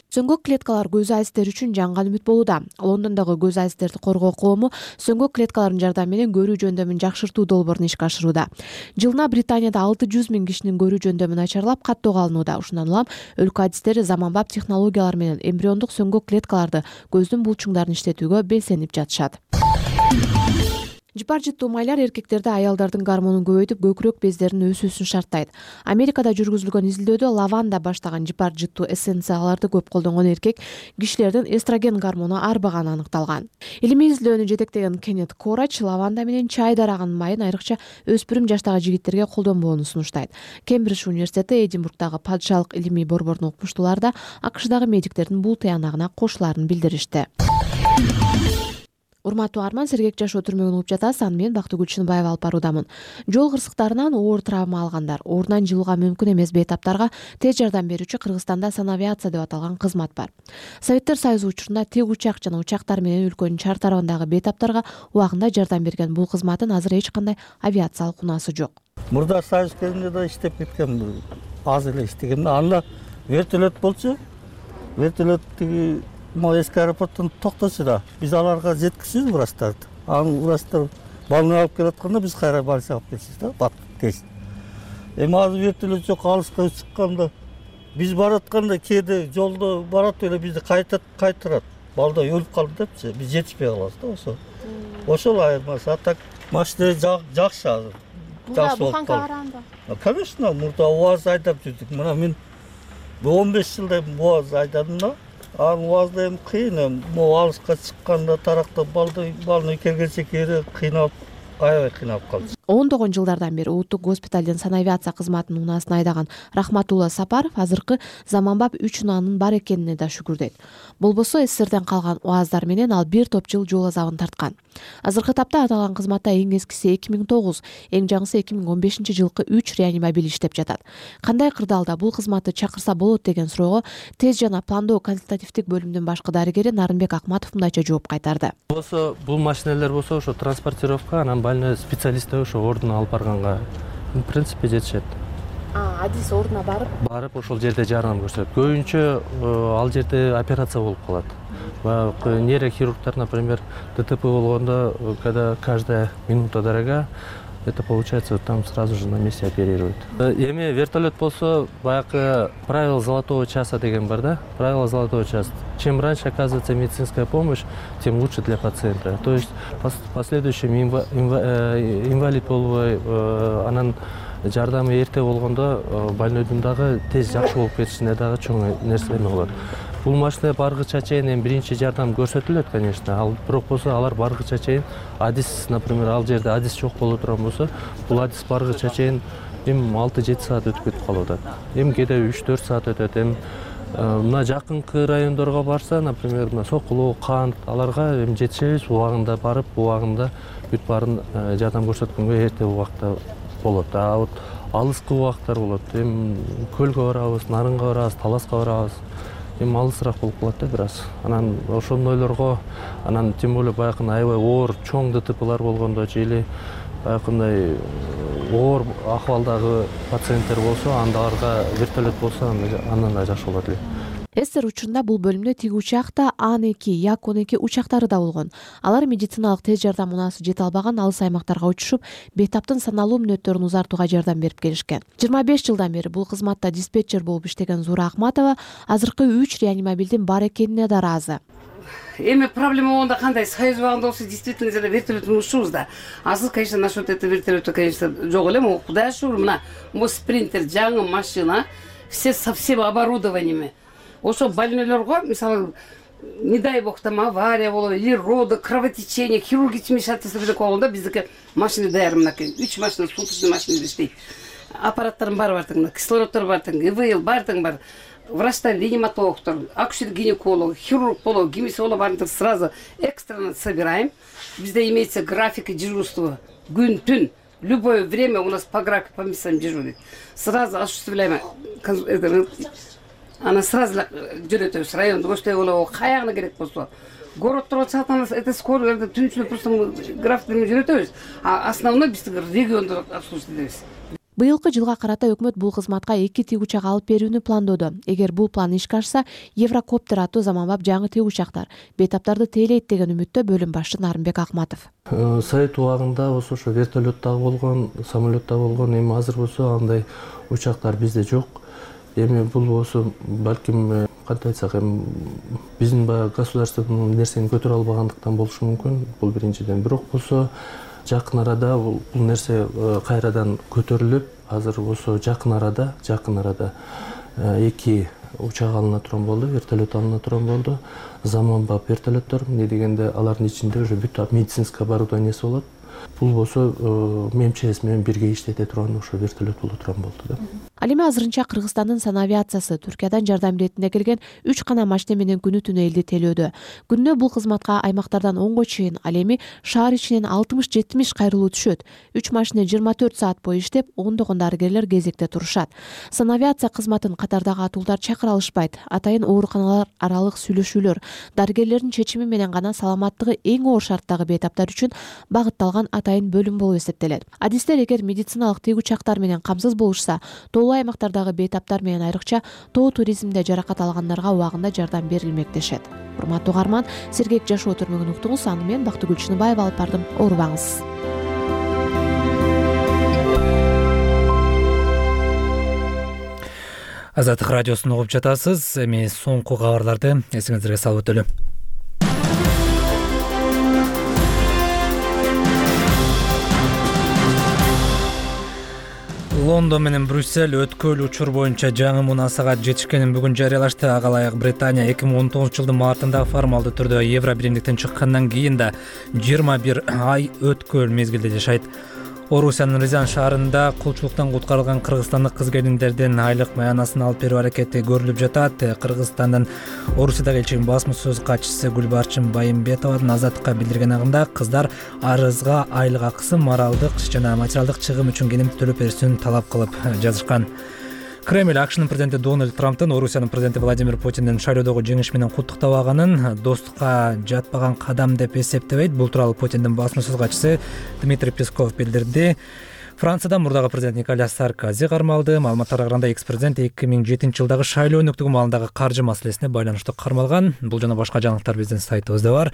Сөңгөк клеткалар көз айзтер үчүн жаңган үмүт болууда. Лондондогу көз айзтерди коргоо коому сөңгөк клеткалардын жардамы менен көрүү жөндөмүн жакшыртуу долбоорун ишке ашырууда. Жылына Британияда 600 000 кишинин көрүү жөндөмү начарлап каттоого алынууда. Ушундан улам өлкө адистери заманбап технологиялар менен эмбриондук сөңгөк клеткаларды көздүн булчуңдарын иштетүүгө белсенип жатышат. Жипаржиттуу майлар эркектерде аялдардын гормонун көбөйтүп, көкүрөк бездеринин өсүүсүн шарттайт. Америкада жүргүзүлгөн изилдөөдө лаванда баштаган жипаржиттуу эссенцияларды көп колдонгон эркек кишилердин эстроген гормону арбаганы аныкталган. Илимий изилдөөнү жетектеген Кеннет Корач лаванда менен чай дарагынын майын айрыкча өспүрүм жаштагы жигиттерге колдонбоону сунуштайт. Кембридж университети Эдинбургдагы падышалык илимий борборунун окумуштуулары да АКШдагы медиктердин бул тыянагына кошулаарын билдиришти. Урматтуу Арман, сергек жашоо түрмөгүн угуп жатасыз. Аны мен Бактыгүл Чыныбаева алып баруудамын. Жол кырсыктарынан оор травма алгандар, ордунан жылууга мүмкүн эмес бейтаптарга тез жардам берүүчү Кыргызстанда санавиация деп аталган кызмат бар. Советтер Союзу учурунда тик учак жана учактар менен өлкөнүн чар тарабындагы бейтаптарга убагында жардам берген бул кызматтын азыр эч кандай авиациялык унаасы жок. Мурда Союз кезинде да иштеп кеткен, аз эле иштеген. Анда вертолет болчу, вертолет тиги эски аэропорттон токточу да. Биз аларга жеткизбиз врачтарды. Анын врачтар балны алып келатканда биз кайра больница алып келчүбүз да, бат тез. Азыр вертолет жок, алыска чыкканда биз баратканда кээде жолдо барат эле бизди кайтырат. Балда өлүп калды депчи, биз жетишпей калабыз да ошо. Ошол айырмасы. А так машина жакшы азыр. Жакшы болуп калды. Конечно, мурда УАЗ айдап жүрдүк. Мына мен 15 жылдай УАЗ айдадым да. Анын УАЗда эми кыйын, могу алыска чыкканда тарактап балны келгенче кээде кыйналып, аябай кыйналып калды. Ондогон жылдардан бери улуттук госпиталдын санавиация кызматынын унаасын айдаган Рахматулла Сапаров азыркы заманбап 3 унаанын бар экенине да шүгүр дейт. Болбосо СССРден калган УАЗдар менен ал бир топ жыл жол азабын тарткан. Азыркы тапта аталган кызматта эң эскиси 2009, эң жаңысы 2015 жылкы 3 реанимобиль иштеп жатат. Кандай кырдаалда бул кызматты чакырса болот деген суроого тез жана пландоо консультативдик бөлүмдүн башкы дарыгери Нарынбек Акматов мындайча жооп кайтарды. Болсо бул машиналар болсо ошо транспортировка, анан больной специалисттер ошо ордуна алып барганга в принципе жетишет. Адис ордуна барып ошол жерде жардам көрсөтөт. Көбүнчө ал жерде операция болуп калат. Нейрохирургтар, например, ДТП болгондо, когда каждая минута дорога, это получается там сразу же на месте оперируют. Эми вертолет болсо, баягы правило золотого часа деген бар да, правило золотого часа. Чем раньше оказывается медицинская помощь, тем лучше для пациента. То есть в последующем инвалид болбой, анан жардамы эрте болгондо больнойдун дагы тез жакшы болуп кетишине дагы чоң нерсе болот. Бул машина баргыча чейин эми биринчи жардам көрсөтүлөт, конечно. Ал бирок болсо алар баргыча чейин адис, например, ал жерде адис жок боло турган болсо, бул адис баргыча чейин эми 6-7 саат өтүп кетип калып атат. Эми кээде 3-4 саат өтөт. Эми мына жакынкы райондорго барса, например, мына Сокулуу, Кант, аларга эми жетишебиз, убагында барып, убагында бүт баарын жардам көрсөткөнгө эрте убакта болот. А вот алыскы убактар болот. Эми Көлгө барабыз, Нарынга барабыз, Таласка барабыз. Эми алысыраак болуп калат да бир аз. Анан ошондойлорго, анан тем более баягы аябай оор чоң ДТПлар болгондо же или баягындай оор акыбалдагы пациенттер болсо, аларга вертолет болсо андан да жакшы болот эле. СССР учурунда бул бөлүмдө тик учакта Ан-2, Як-12 учактары да болгон. Алар медициналык тез жардам унаасы жете албаган алыс аймактарга учушуп, бейтаптын саналуу мүнөттөрүн узартууга жардам берип келишкен. 25 жылдан бери бул кызматта диспетчер болуп иштеген Зура Акматова азыркы 3 реанимобилдин бар экенине да ыраазы. Эми проблема болгондо кандай? Союз убагында болсо действительно эле вертолет унушубуз да. Азыр, конечно, насчет этого вертолета, конечно, жок эле. Могу Кудай шүгүр, мына бул спринтер, жаңы машина, все со всем оборудованиями. Ошо больнойлорго, мисалы, не дай бог там авария болот, или роды, кровотечение, хирургический вмешательство болгондо биздики машина даяр мынакей. 3 машина, суточный машина иштейт. Аппараттардын баары бар тең, кислороддор бар тең, ИВЛ бар тең бар. Врачтар, реаниматологтор, акушер-гинеколог, хирург боло, гинеколог барын сразу экстренно собираем. Bizde имеется график дежурства, gün-tün, любое время у нас по графику по местам дежурит. Сразу осуществляем, она сразу жүрөтөбүз райондо оштой болобу, каягына керек болсо. Городдор чатамыз, это скоро түнчүлүк просто графиктерин жүрөтөбүз. А основной биз региондо обслуживать. Быйылкы жылга карата өкмөт бул кызматка 2 тик учак алып берүүнү пландоодо. Эгер бул план ишке ашса, Еврокоптер аттуу заманбап жаңы тик учактар бейтаптарды тейлейт деген үмүттө бөлүм башчы Нарынбек Акматов. Совет убагында болсо ошо вертолеттагы болгон, самолеттагы болгон, эми азыр болсо андай учактар бизде жок. Эми бул болсо балким кантип айтсак, эми биздин баягы государственный нерсени көтөрө албагандыктан болушу мүмкүн. Бул биринчиден. Бирок болсо жакын арада бул нерсе кайрадан көтөрүлүп, азыр болсо жакын арада 2 учак алына турган болду, вертолет алына турган болду. Заманбап вертолеттор, эмне дегенде алардын ичинде уже бүт медицинский оборудованиеси болот. бул болсо МЧС менен бирге иштете турган ошо вертолет боло турган болду да. Ал эми азырынча Кыргызстандын санавиациясы Түркиядан жардам иретине келген 3 гана машина менен күнү түнү элди телөөдө. Күнүнө бул кызматка аймактардан 10го чейин, ал эми шаар ичинен 60-70 кайрылуу түшөт. 3 машина 24 саат бою иштеп, ондогон дарыгерлер кезекте турушат. Санавиация кызматын катардагы атуулдар чакыра алышпайт. Атайын ооруканалар аралык сүйлөшүүлөр, дарыгерлердин чечими менен гана саламаттыгы эң оор шарттагы бейтаптар үчүн багытталган атайын бөлүм болуп эсептелет. Адистер эгер медициналык тег учактар менен камсыз болушса, тоолуу аймактардагы бейтаптар менен айрыкча тоо туризмде жаракат алгандарга убагында жардам берилмек дешет. Урматтуу угарман, сергек жашоо түрмөгүн уктуңуз, аны мен Бактыгүл Чыныбаева алып бардым. Оорубаңыз. Азаттык радиосун угуп жатасыз. Эми соңку кабарларды эсиңиздерге салып өтөлү. Лондон менен Брюссель өткөл учур боюнча жаңы мунасага жетишкенин бүгүн жарыялашты. Ага ылайык Британия 2019-жылдын мартында формалдуу түрдө Евро биримдиктен чыккандан кийин да 21 ай өткөл мезгилде жашайт. Орусиянын Рязань шаарында кулчулуктан куткарылган кыргызстандык кыз-келиндердин айлык маянасын алып берүү аракети көрүлүп жатат. Кыргызстандын Орусиядагы элчигинин басма сөз катчысы Гүлбарчын Байымбетованын Азаттыкка билдирген агында кыздар арызга айлык акысын моралдык жана материалдык чыгым үчүн кенемти төлөп берүүсүн талап кылып жазышкан. Кремль АКШнын президенти Дональд Трамптын Орусиянын президенти Владимир Путиндин шайлоодогу жеңиш менен куттуктабаганын достукка жатпаган кадам деп эсептебейт. Бул тууралуу Путиндин басма сөз катчысы Дмитрий Песков билдирди. Францияда мурдагы президент Николя Саркози кармалды. Маалыматтарга караганда экс-президент 2007-жылдагы шайлоо өнөктүгү маалындагы каржы маселесине байланыштуу кармалган. Бул жана башка жаңылыктар биздин сайтыбызда бар.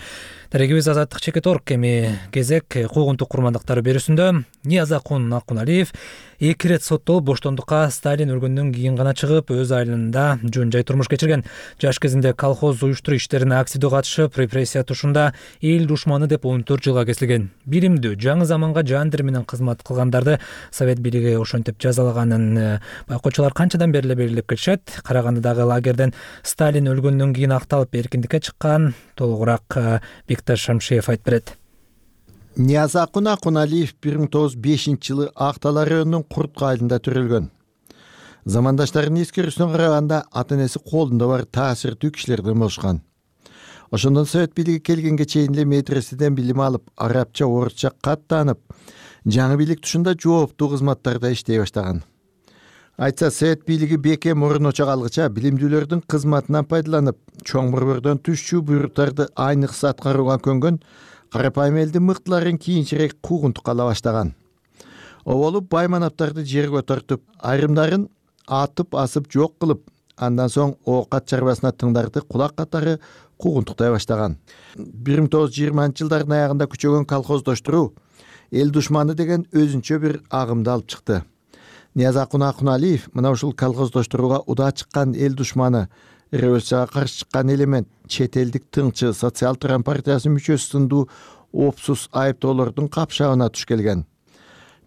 Дарегибиз Азаттык Чекит.org. Эми кезек куугунтук курмандыктары берүүсүндө Ниязакун Акуналиев 2 рет соттолуп боштондукка Сталин өлгөндөн кийин гана чыгып, өз айылында жөн жай турмуш кечирген. Жаш кезинде колхоз уюштуруу иштерине активдүү катышып, репрессия тушунда эл душманы деп 14 жылга кесилген. Билимдүү, жаңы заманга жандыр менен кызмат кылгандарды Совет бийлиги ошентип жазалаганын байкоочулар канчадан бери белгилеп келишет. Карагандыдагы лагерден Сталин өлгөндөн кийин акталып эркиндикке чыккан. Толугураак Бикташ Шамшиев айтып берет. Ниязакун Акуналиев 1905-жылы Актала районунун Куртка айылында төрөлгөн. Замандаштарынын эскерүүсүнө караганда ата-энеси колунда бар таасирдүү кишилерден болушкан. Ошондон Совет бийлиги келгенге чейин эле медреседен билим алып, арабча, орусча кат таанып, жаңы бийлик тушунда жооптуу кызматтарда иштей баштаган. Айтса, Совет бийлиги бекем мурун очок алгыча билимдүүлөрдүн кызматынан пайдаланып, чоң борбордон түшчү буйруктарды айныкса аткарууга көнгөн карапайым элдин мыктыларын кийинчерээк куугунтукка ала баштаган. Оболуп байманаптарды жерге тартып, айрымдарын атып асып жок кылып, андан соң оокат чарбасына тыңдарды кулак катары куугунтуктай баштаган. 1920-жылдардын аягында күчөгөн колхоздоштуруу эл душманы деген өзүнчө бир агымды алып чыкты. Ниязакун Акуналиев мына ушул колхоздоштурууга удаа чыккан эл душманы, революцияга каршы чыккан элемент, чет элдик тыңчы, социал-туран партиясынын мүчөсү сындуу опсуз айыптоолордун капшабына туш келген.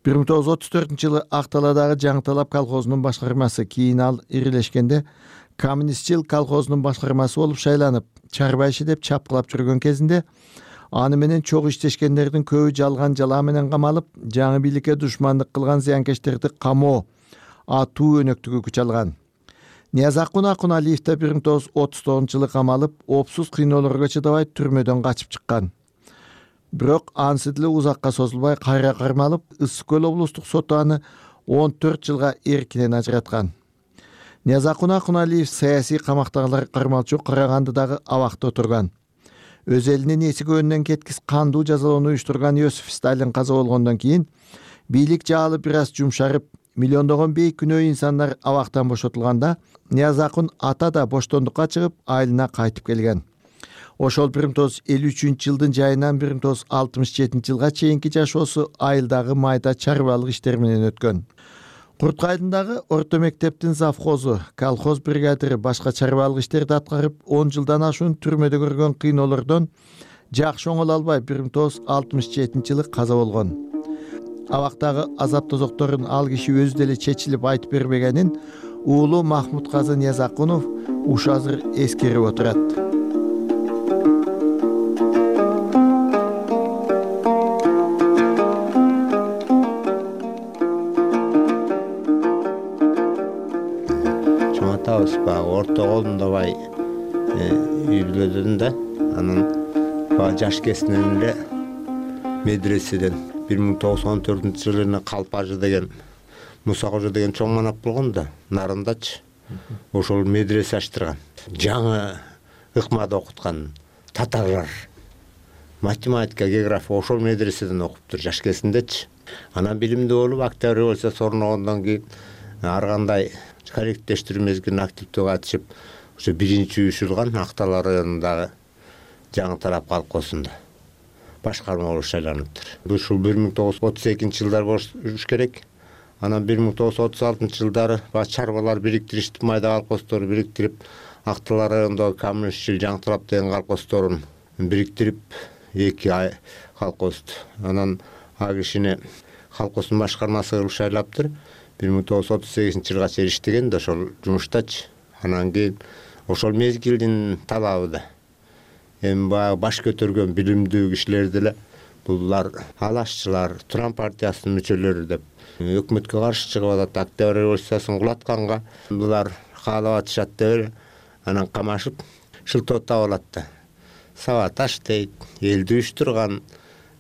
1934-жылы Акталадагы Жаңыталап колхозунун башкармасы, кийин ал ирилешкенде Коммунистчил колхозунун башкармасы болуп шайланып, чарба иши деп чапкылап жүргөн кезинде аны менен чогуу иштешкендердин көбү жалган жалаа менен камалып, жаңы бийликке душмандык кылган зыянкечтерди камоо, атуу өнөктүгү күч алган. Ниязакун Акуналиев да 1939-жылы камалып, опсуз кыйноолорго чыдабай түрмөдөн качып чыккан. Бирок анысы деле узакка созулбай кайра кармалып, Ысык көл облустук соту аны 14 жылга эркинен ажыраткан. Ниязакун Акуналиев саясий камактагылар кармалчу Карагандыдагы абакта отурган. Өз элинин эсигөөнүнөн кеткис кандуу жазалоону уюштурган Иосиф Сталин каза болгондон кийин бийлик жаалы бир аз жумшарып, миллиондогон бейкүнөө инсандар абактан бошотулганда, Ниязакун ата да боштондукка чыгып, айылына кайтып келген. Ошол 1953-жылдын жайынан 1967-жылга чейинки жашоосу айылдагы майда чарбалык иштер менен өткөн. Куртка айылындагы орто мектептин завхозу, колхоз бригадири башка чарбалык иштерди аткарып, 10 жылдан ашуун түрмөдө көргөн кыйноолордон жакшы оңоло албай 1967-жылы каза болгон. Абактагы азап тозокторун ал киши өзү деле чечилип айтып бербегенин уулу Махмуд Казы Ниязакунов ушу азыр эскерип отурат. окуябыз баягы орто колундабай үй бүлөдөн да. Анан баягы жаш кезинен эле медреседен 1914-жылы Калпажы деген Муса кожо деген чоң манап болгон да, Нарындачы. Ошол медресе ачтырган. Жаңы ыкмада окуткан татарлар математика, география ошол медреседен окуптур жаш кезиндечи. Анан билимдүү болуп, Октябрь революциясы орногондон кийин ар кандай коллективдештирүү мезгилине активдүү катышып, ошо биринчи уюшулган Актала районундагы жаңы тарап колхозунда башкарма болуп шайланыптыр. Ушул 1932-жылдар болуш керек. Анан 1936-жылдары чарбалар бириктиришти, майда колхоздорду бириктирип, Актала районундагы Камышчыл, Жаңы Тарап деген колхоздорун бириктирип, эки колхозду. Анан а кишини колхоздун башкармасы кылып шайлаптыр. 1938-жылга чейин иштеген да ошол жумуштачы. Анан кийин ошол мезгилдин талабы да эми баягы баш көтөргөн билимдүү кишилер деле булар алашчылар, Туран партиясынын мүчөлөрү деп өкмөткө каршы чыгып атат. Октябрь революциясын кулатканга булар каалап атышат деп эле анан камашып шылтоотап алат да. Сабаташ дейт, элди уюштурган,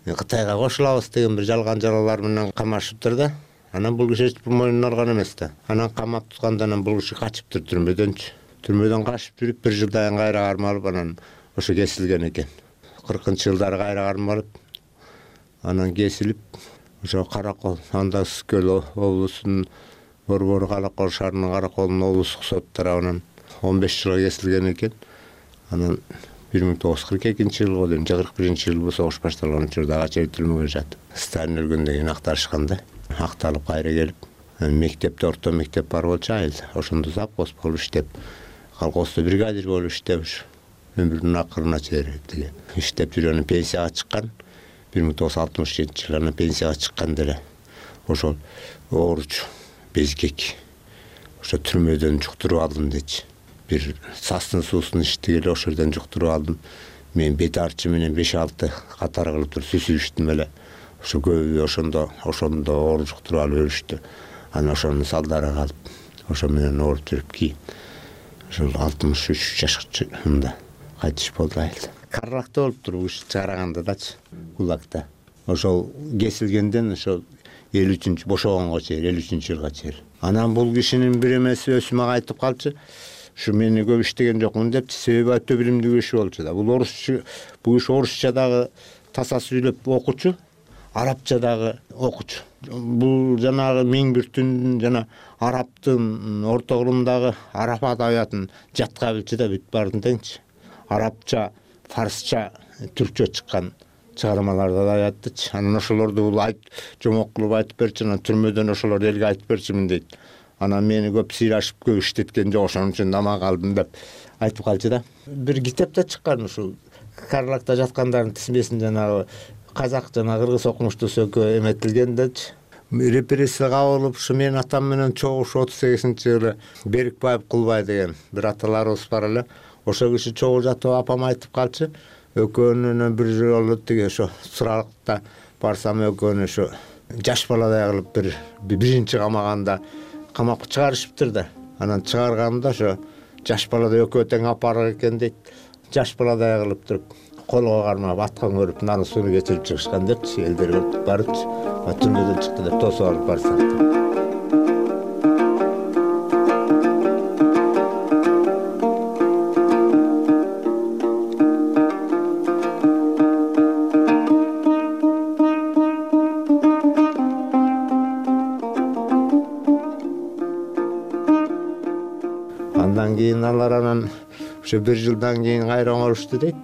Кытайга кошулабыз деген бир жалган жалалар менен камашыптыр да. Анан бул киши мойнуна алган эмес да. Анан камап тутканда анан бул киши качыптыр түрмөдөнчү. Түрмөдөн качып жүрүп бир жылдан кайра кармалып анан ошо кесилген экен. 40-жылдары кайра кармалып анан кесилип ошо Каракол, анда Үскөл облусунун Борбор Каракол шаарынын Караколунун облустук сот тарабынан 15 жылга кесилген экен. Анан 1942-жылы дейм, 41-жылы бул согуш башталган учурда ага чейин түрмөгө жатып. Сталин өлгөндөн кийин актарышканда акталып кайра келип, мектепте орто мектеп бар болчу айыл. Ошондо завхоз болуп иштеп, колхоздо бригадир болуп иштеп, өмүрүнүн акырына чейин иштеп жүргөн, пенсияга чыккан. 1967-жылы анан пенсияга чыккан деле ошол ооруч безгек ошо түрмөдөн жуктуруп алдым дечи. Бир састын суусун ичти эле ошол жерден жуктуруп алдым. Мен бет арчы менен 5-6 катар кылып туруп сүзүштүм эле. Ошо көбү ошондо оор жуктуруп алып өлүштү. Анан ошонун салдары калып, ошо менен ооруп жүрүп кийин ошол 63 жашында кайтыш болду айыл. Карлакта болуптур бул иш чыгарганда дачы, Кулакта. Ошол кесилгенден ошол 53-чү бошогонго чейин, 53-жылга чейин. Анан бул кишинин бир эмеси өзү мага айтып калчы. Ушу мени көп иштеген жокмун депчи, себеби өтө билимдүү киши болчу да. Бул орусча, бул киши орусча дагы таса сүйлөп окучу, арабча дагы окучу. Бул жанагы миң бир түндүн жана арабтын орто кылымдагы араб адабиятын жатка билчү да бүт баарын теңчи. Арабча, фарсча, түркчө чыккан чыгармаларды да аяттычы. Анан ошолорду бул жомок кылып айтып берчи, анан түрмөдөн ошолорду элге айтып берчимин дейт. Анан мени көп сыйлашып көп иштеткен жок, ошон үчүн аман калдым деп айтып калчу да. Бир китепте чыккан ушул Карлакта жаткандардын тизмесин жанагы казак жана кыргыз окумуштуусу экөө эметилген дечи. Репрессия кабылып, ушу менин атам менен чогуш 38-жылы Берикбаев Кулбай деген бир аталарыбыз бар эле. Ошол киши чогуу жатып апам айтып калчы. Экөөнүн бир жолу тиги ошо суралыкта барсам экөөнү ошо жаш баладай кылып биринчи камаганда камакка чыгарышыптыр да. Анан чыгарганда ошо жаш баладай экөө тең апарык экен дейт. Жаш баладай кылып туруп колго кармап аткан көрүп нарын сууну кечирип чыгышкан депчи, элдер барыпчы. Түрмөдөн чыкты деп тосуп алып барсак. Андан кийин алар анан ошо бир жылдан кийин кайра оңолушту дейт.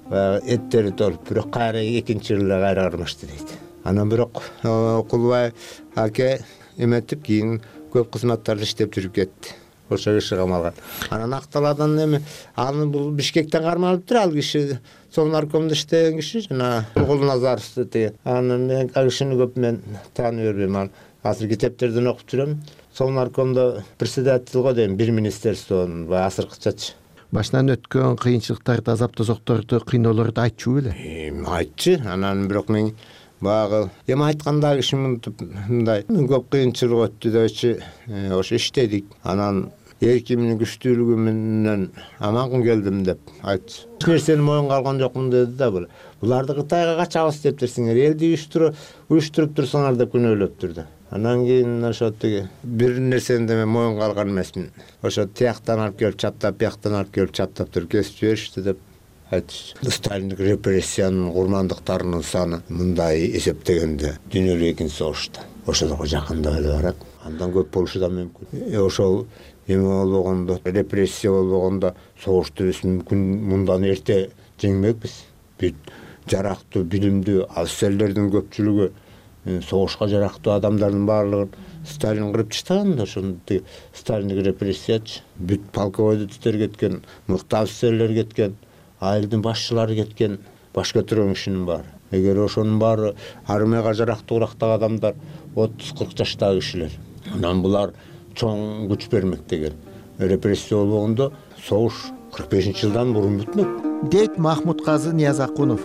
Эттери толуп, бирок кайра экинчи жылы кайра кармашты дейт. Анан бирок Кулбай аке эметип кийин көп кызматтарда иштеп жүрүп кетти. Ошо киши камалган. Анан Акталадан эми аны бул Бишкектен кармалыптыр, ал киши сол наркомдо иштеген киши жана Кулназаров деген. Анан мен ал кишини көп мен таанып бербейм. Азыр китептерден окуп жүрөм. Сол наркомдо председатель го дейм, бир министерствонун азыркычачы. Башынан өткөн кыйынчылыктарды, азап тозокторду, кыйноолорду айтчу беле? Айтчы. Анан бирок мен багы эми айтканда киши мындай көп кыйынчылык өттү депчи, ошо иштедик. Анан эркимдин күчтүүлүгү менен аман келдим деп айтчу. Эч нерсени моюнга алган жокмун деди да. Буларды Кытайга качабыз дептир, сиңер элди уюштуруп турсуңар деп күнөөлөптүр да. Анан кийин ошо тиги бир нерсени да мен моюнга алган эмесмин. Ошо тияктан алып келип чаптап, бияктан алып келип чаптап туруп кесип жиберишти деп айтышты. Сталиндик репрессиянын курмандыктарынын саны мындай эсептегенде дүйнөлүк экинчи согушта ошого жакындап эле барат. Андан көп болушу да мүмкүн. Ошол эме болбогондо, репрессия болбогондо согушту биз мүмкүн мындан эрте жеңмекпиз. Бүт жарактуу, билимдүү офицерлердин көпчүлүгү, согушка жарактуу адамдардын баардыгын Сталин кырып таштаган да. Ошондой Сталиндик репрессиячы. Бүт полководецтер кеткен, мыкты офицерлер кеткен, айылдын башчылары кеткен, баш көтөргөн кишинин баары. Эгер ошонун баары армияга жарактуураактагы адамдар 30-40 жаштагы кишилер. Анан булар чоң күч бермек деген. Репрессия болбогондо согуш 45-жылдан мурун бүтмөк. Дейт Махмудказы Ниязакунов.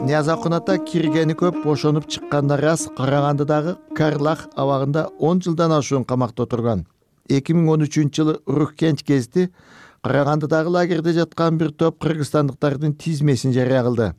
Ниязакун ата киргени көп, бошонуп чыкканда рас. Карагандыдагы Карлах абагында 10 жылдан ашуун камакта отурган. 2013-жылы Уруккенч кезди Карагандыдагы лагерде жаткан бир топ кыргызстандыктардын тизмесин жарыя кылды.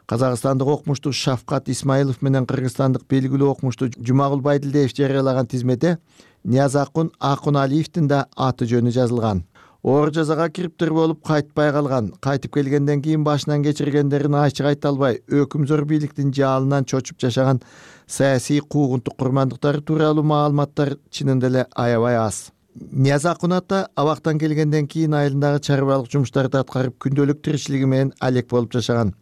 Казакстандык окумушту Шавкат Исмаилов менен кыргызстандык белгилүү окумушту Жумагул Байдилдиев жарыялаган тизмеде Ниязакун Акуналиевдин да аты жөнү жазылган. Оор жазага кириптир болуп кайтпай калган. Кайтып келгенден кийин башынан кечиргендерин ачык айта албай, өкүмзөр бийликтин жаалынан чочуп жашаган саясий куугунтук курмандыктары тууралуу маалыматтар чынында эле аябай аз. Ниязакун ата абактан келгенден кийин айылындагы чарбалык жумуштарды аткарып күндөлүк тиричилиги менен алек болуп жашаган.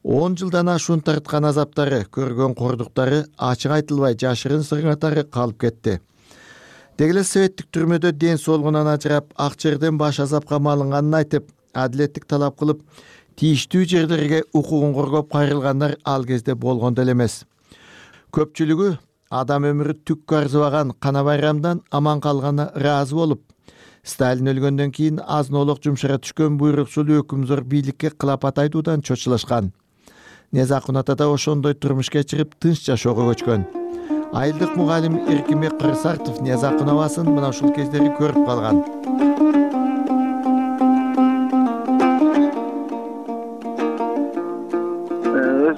10 жылдан ашуун тарткан азаптары, көргөн кордуктары ачык айтылбай жашырын сырыңатары калып кетти. Дегеле советтик түрмөдө ден соолугунан ажырап, ак жерден баш азапка малынганын айтып, адилеттик талап кылып, тийиштүү жерлерге укугун коргоп кайрылгандар ал кезде болгон деле эмес. Көпчүлүгү адам өмүрү түккө арзыбаган Кана Байрамдан аман калгана ыраазы болуп, Сталин өлгөндөн кийин азын-олок жумшара түшкөн буйруксул өкүмзөр бийликке кылапат айтуудан чочулашкан. Ниязакун ата да ошондой турмуш кечирип, тынч жашоого көчкөн. Айылдык мугалим Эркинбек Кырсартов Ниязакун абасын мына ушул кездери көрүп калган.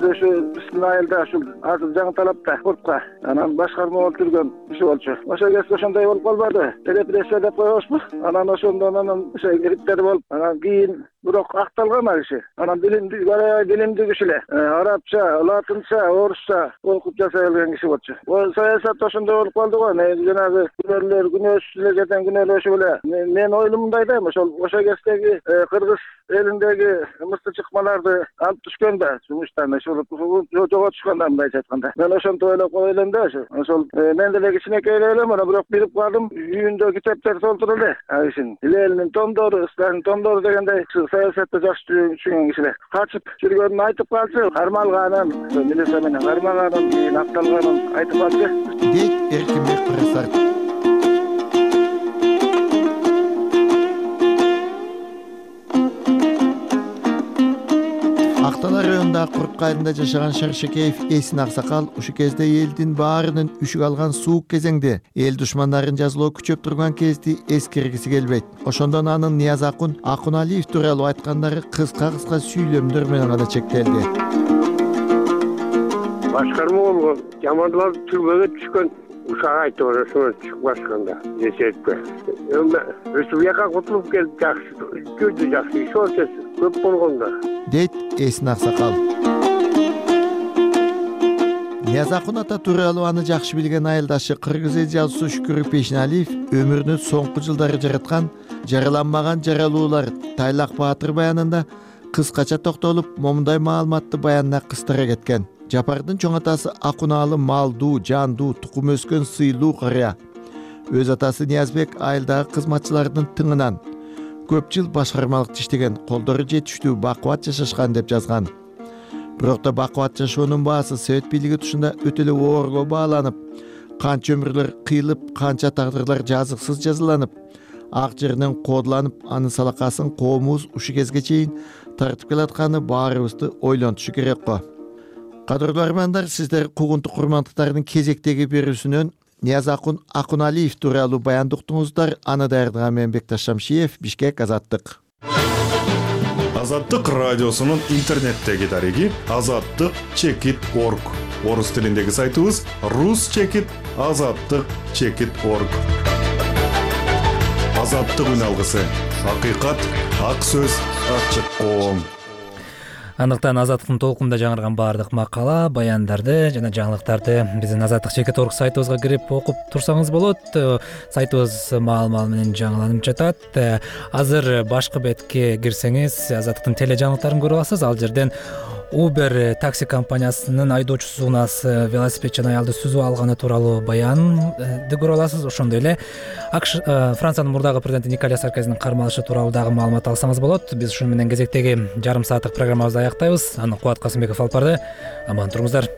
Ошо биздин айылда ушул азыр жаңы талапта клубка анан башкарма болуп жүргөн киши болчу. Ошо кезде ошондой болуп калбады. Репрессия деп коебузбу? Анан ошондон ошо кириптер болуп, анан кийин бирок акталган ал киши. Анан билимдүү киши эле. Арабча, латынча, орусча окуп жасай алган киши болчу. Саясат ошондой болуп калды го. Жанагы күнөөлөр, күнөөсүзлөр жерден күнөөлөшүп эле. Мен ойлум мындай да, ошо кездеги кыргыз элиндеги мыкты чыкмаларды алып түшкөн да жумуштан жоготушкан да мындайча айтканда. Мен ошентип ойлоп кой элем да ошол мен деле кичинекей элем, бирок билип калдым, үйүндө китептер толтур эле. Кишинин Ленин томдору, Сталин томдору дегендей саясатты жакшы түшүнгөн кишилер. Качып жүргөнүн айтып калчу, кармалганын, милиция менен кармаганын, кийин акталганын айтып калчу. Дейт Эркинбек Кырсартов. Актала районундагы Куртка айылында жашаган Шаршекеев Эсин Аксакал ушу кезде элдин баарынын үшүк алган суук кезеңде эл душмандарын жазалоо күчөп турган кезди эскергиси келбейт. Ошондон анын Ниязакун Акуналиев тууралуу айткандары кыска сүйлөмдөр менен гана чектелди. Башкарма болгон, жамандуулар түрмөгө түшкөн ушак айтып ошону чыкпашканда эсепке. Республика кутулуп келип жакшы, күндү жакшы иш болчу, көп болгондо. Дейт Эсин Аксакал. Ниязакун ата тууралуу аны жакшы билген айылдашы кыргыз эл жазуусу Шүкүр Пешиналиев өмүрүнүн соңку жылдары жараткан жараланмаган жаралуулар Тайлак Баатыр баянында кыскача токтолуп, момундай маалыматты баянына кыстыра кеткен. Жапардын чоң атасы Акунаалы малдуу, жандуу, тукум өскөн сыйлуу карыя. Өз атасы Ниязбек айылдагы кызматчылардын тыңынан көп жыл башкармалыкта иштеген, колдору жетиштүү, бакубат жашашкан деп жазган. Бирок да бакубат жашоонун баасы совет бийлиги тушунда өтө эле оорго бааланып, канча өмүрлөр кыйылып, канча тагдырлар жазыксыз жазаланып, ак жеринен коодуланып, анын салакасын коомубуз ушу кезге чейин тартып келатканы баарыбызды ойлонтушу керек го. Кадырлуу армандар, сиздер куугунтук курмандыктардын кезектеги берүүсүнөн Ниязакун Акуналиев тууралуу баян уктуңуздар. Аны даярдаган мен Бекташ Шамшиев, Бишкек, Азаттык. Азаттык радиосунун интернеттеги дареги azattyk.org. Орус тилиндеги сайтыбыз rus.azattyk.org. Азаттык үн алгысы. Акыйкат, ак сөз, ачык коом. Андыктан Азаттыктын толкунда жаңырган баардык макала, баяндарды жана жаңылыктарды биздин azattyk.org сайтыбызга кирип окуп турсаңыз болот. Сайтыбыз маал-маал менен жаңыланып жатат. Азыр башкы бетке кирсеңиз Азаттыктын теле жаңылыктарын көрө аласыз. Ал жерден Uber такси компаниясынын айдоочусу унаас велосипед жана аялды сүзүп алганы тууралуу баянды көрө аласыз. Ошондой эле Франциянын мурдагы президенти Николя Саркозинин кармалышы тууралуу дагы маалымат алсаңыз болот. Биз ушуну менен кезектеги жарым сааттык программабызды аяктайбыз. Аны Кубат Касымбеков алып барды. Аман туруңуздар.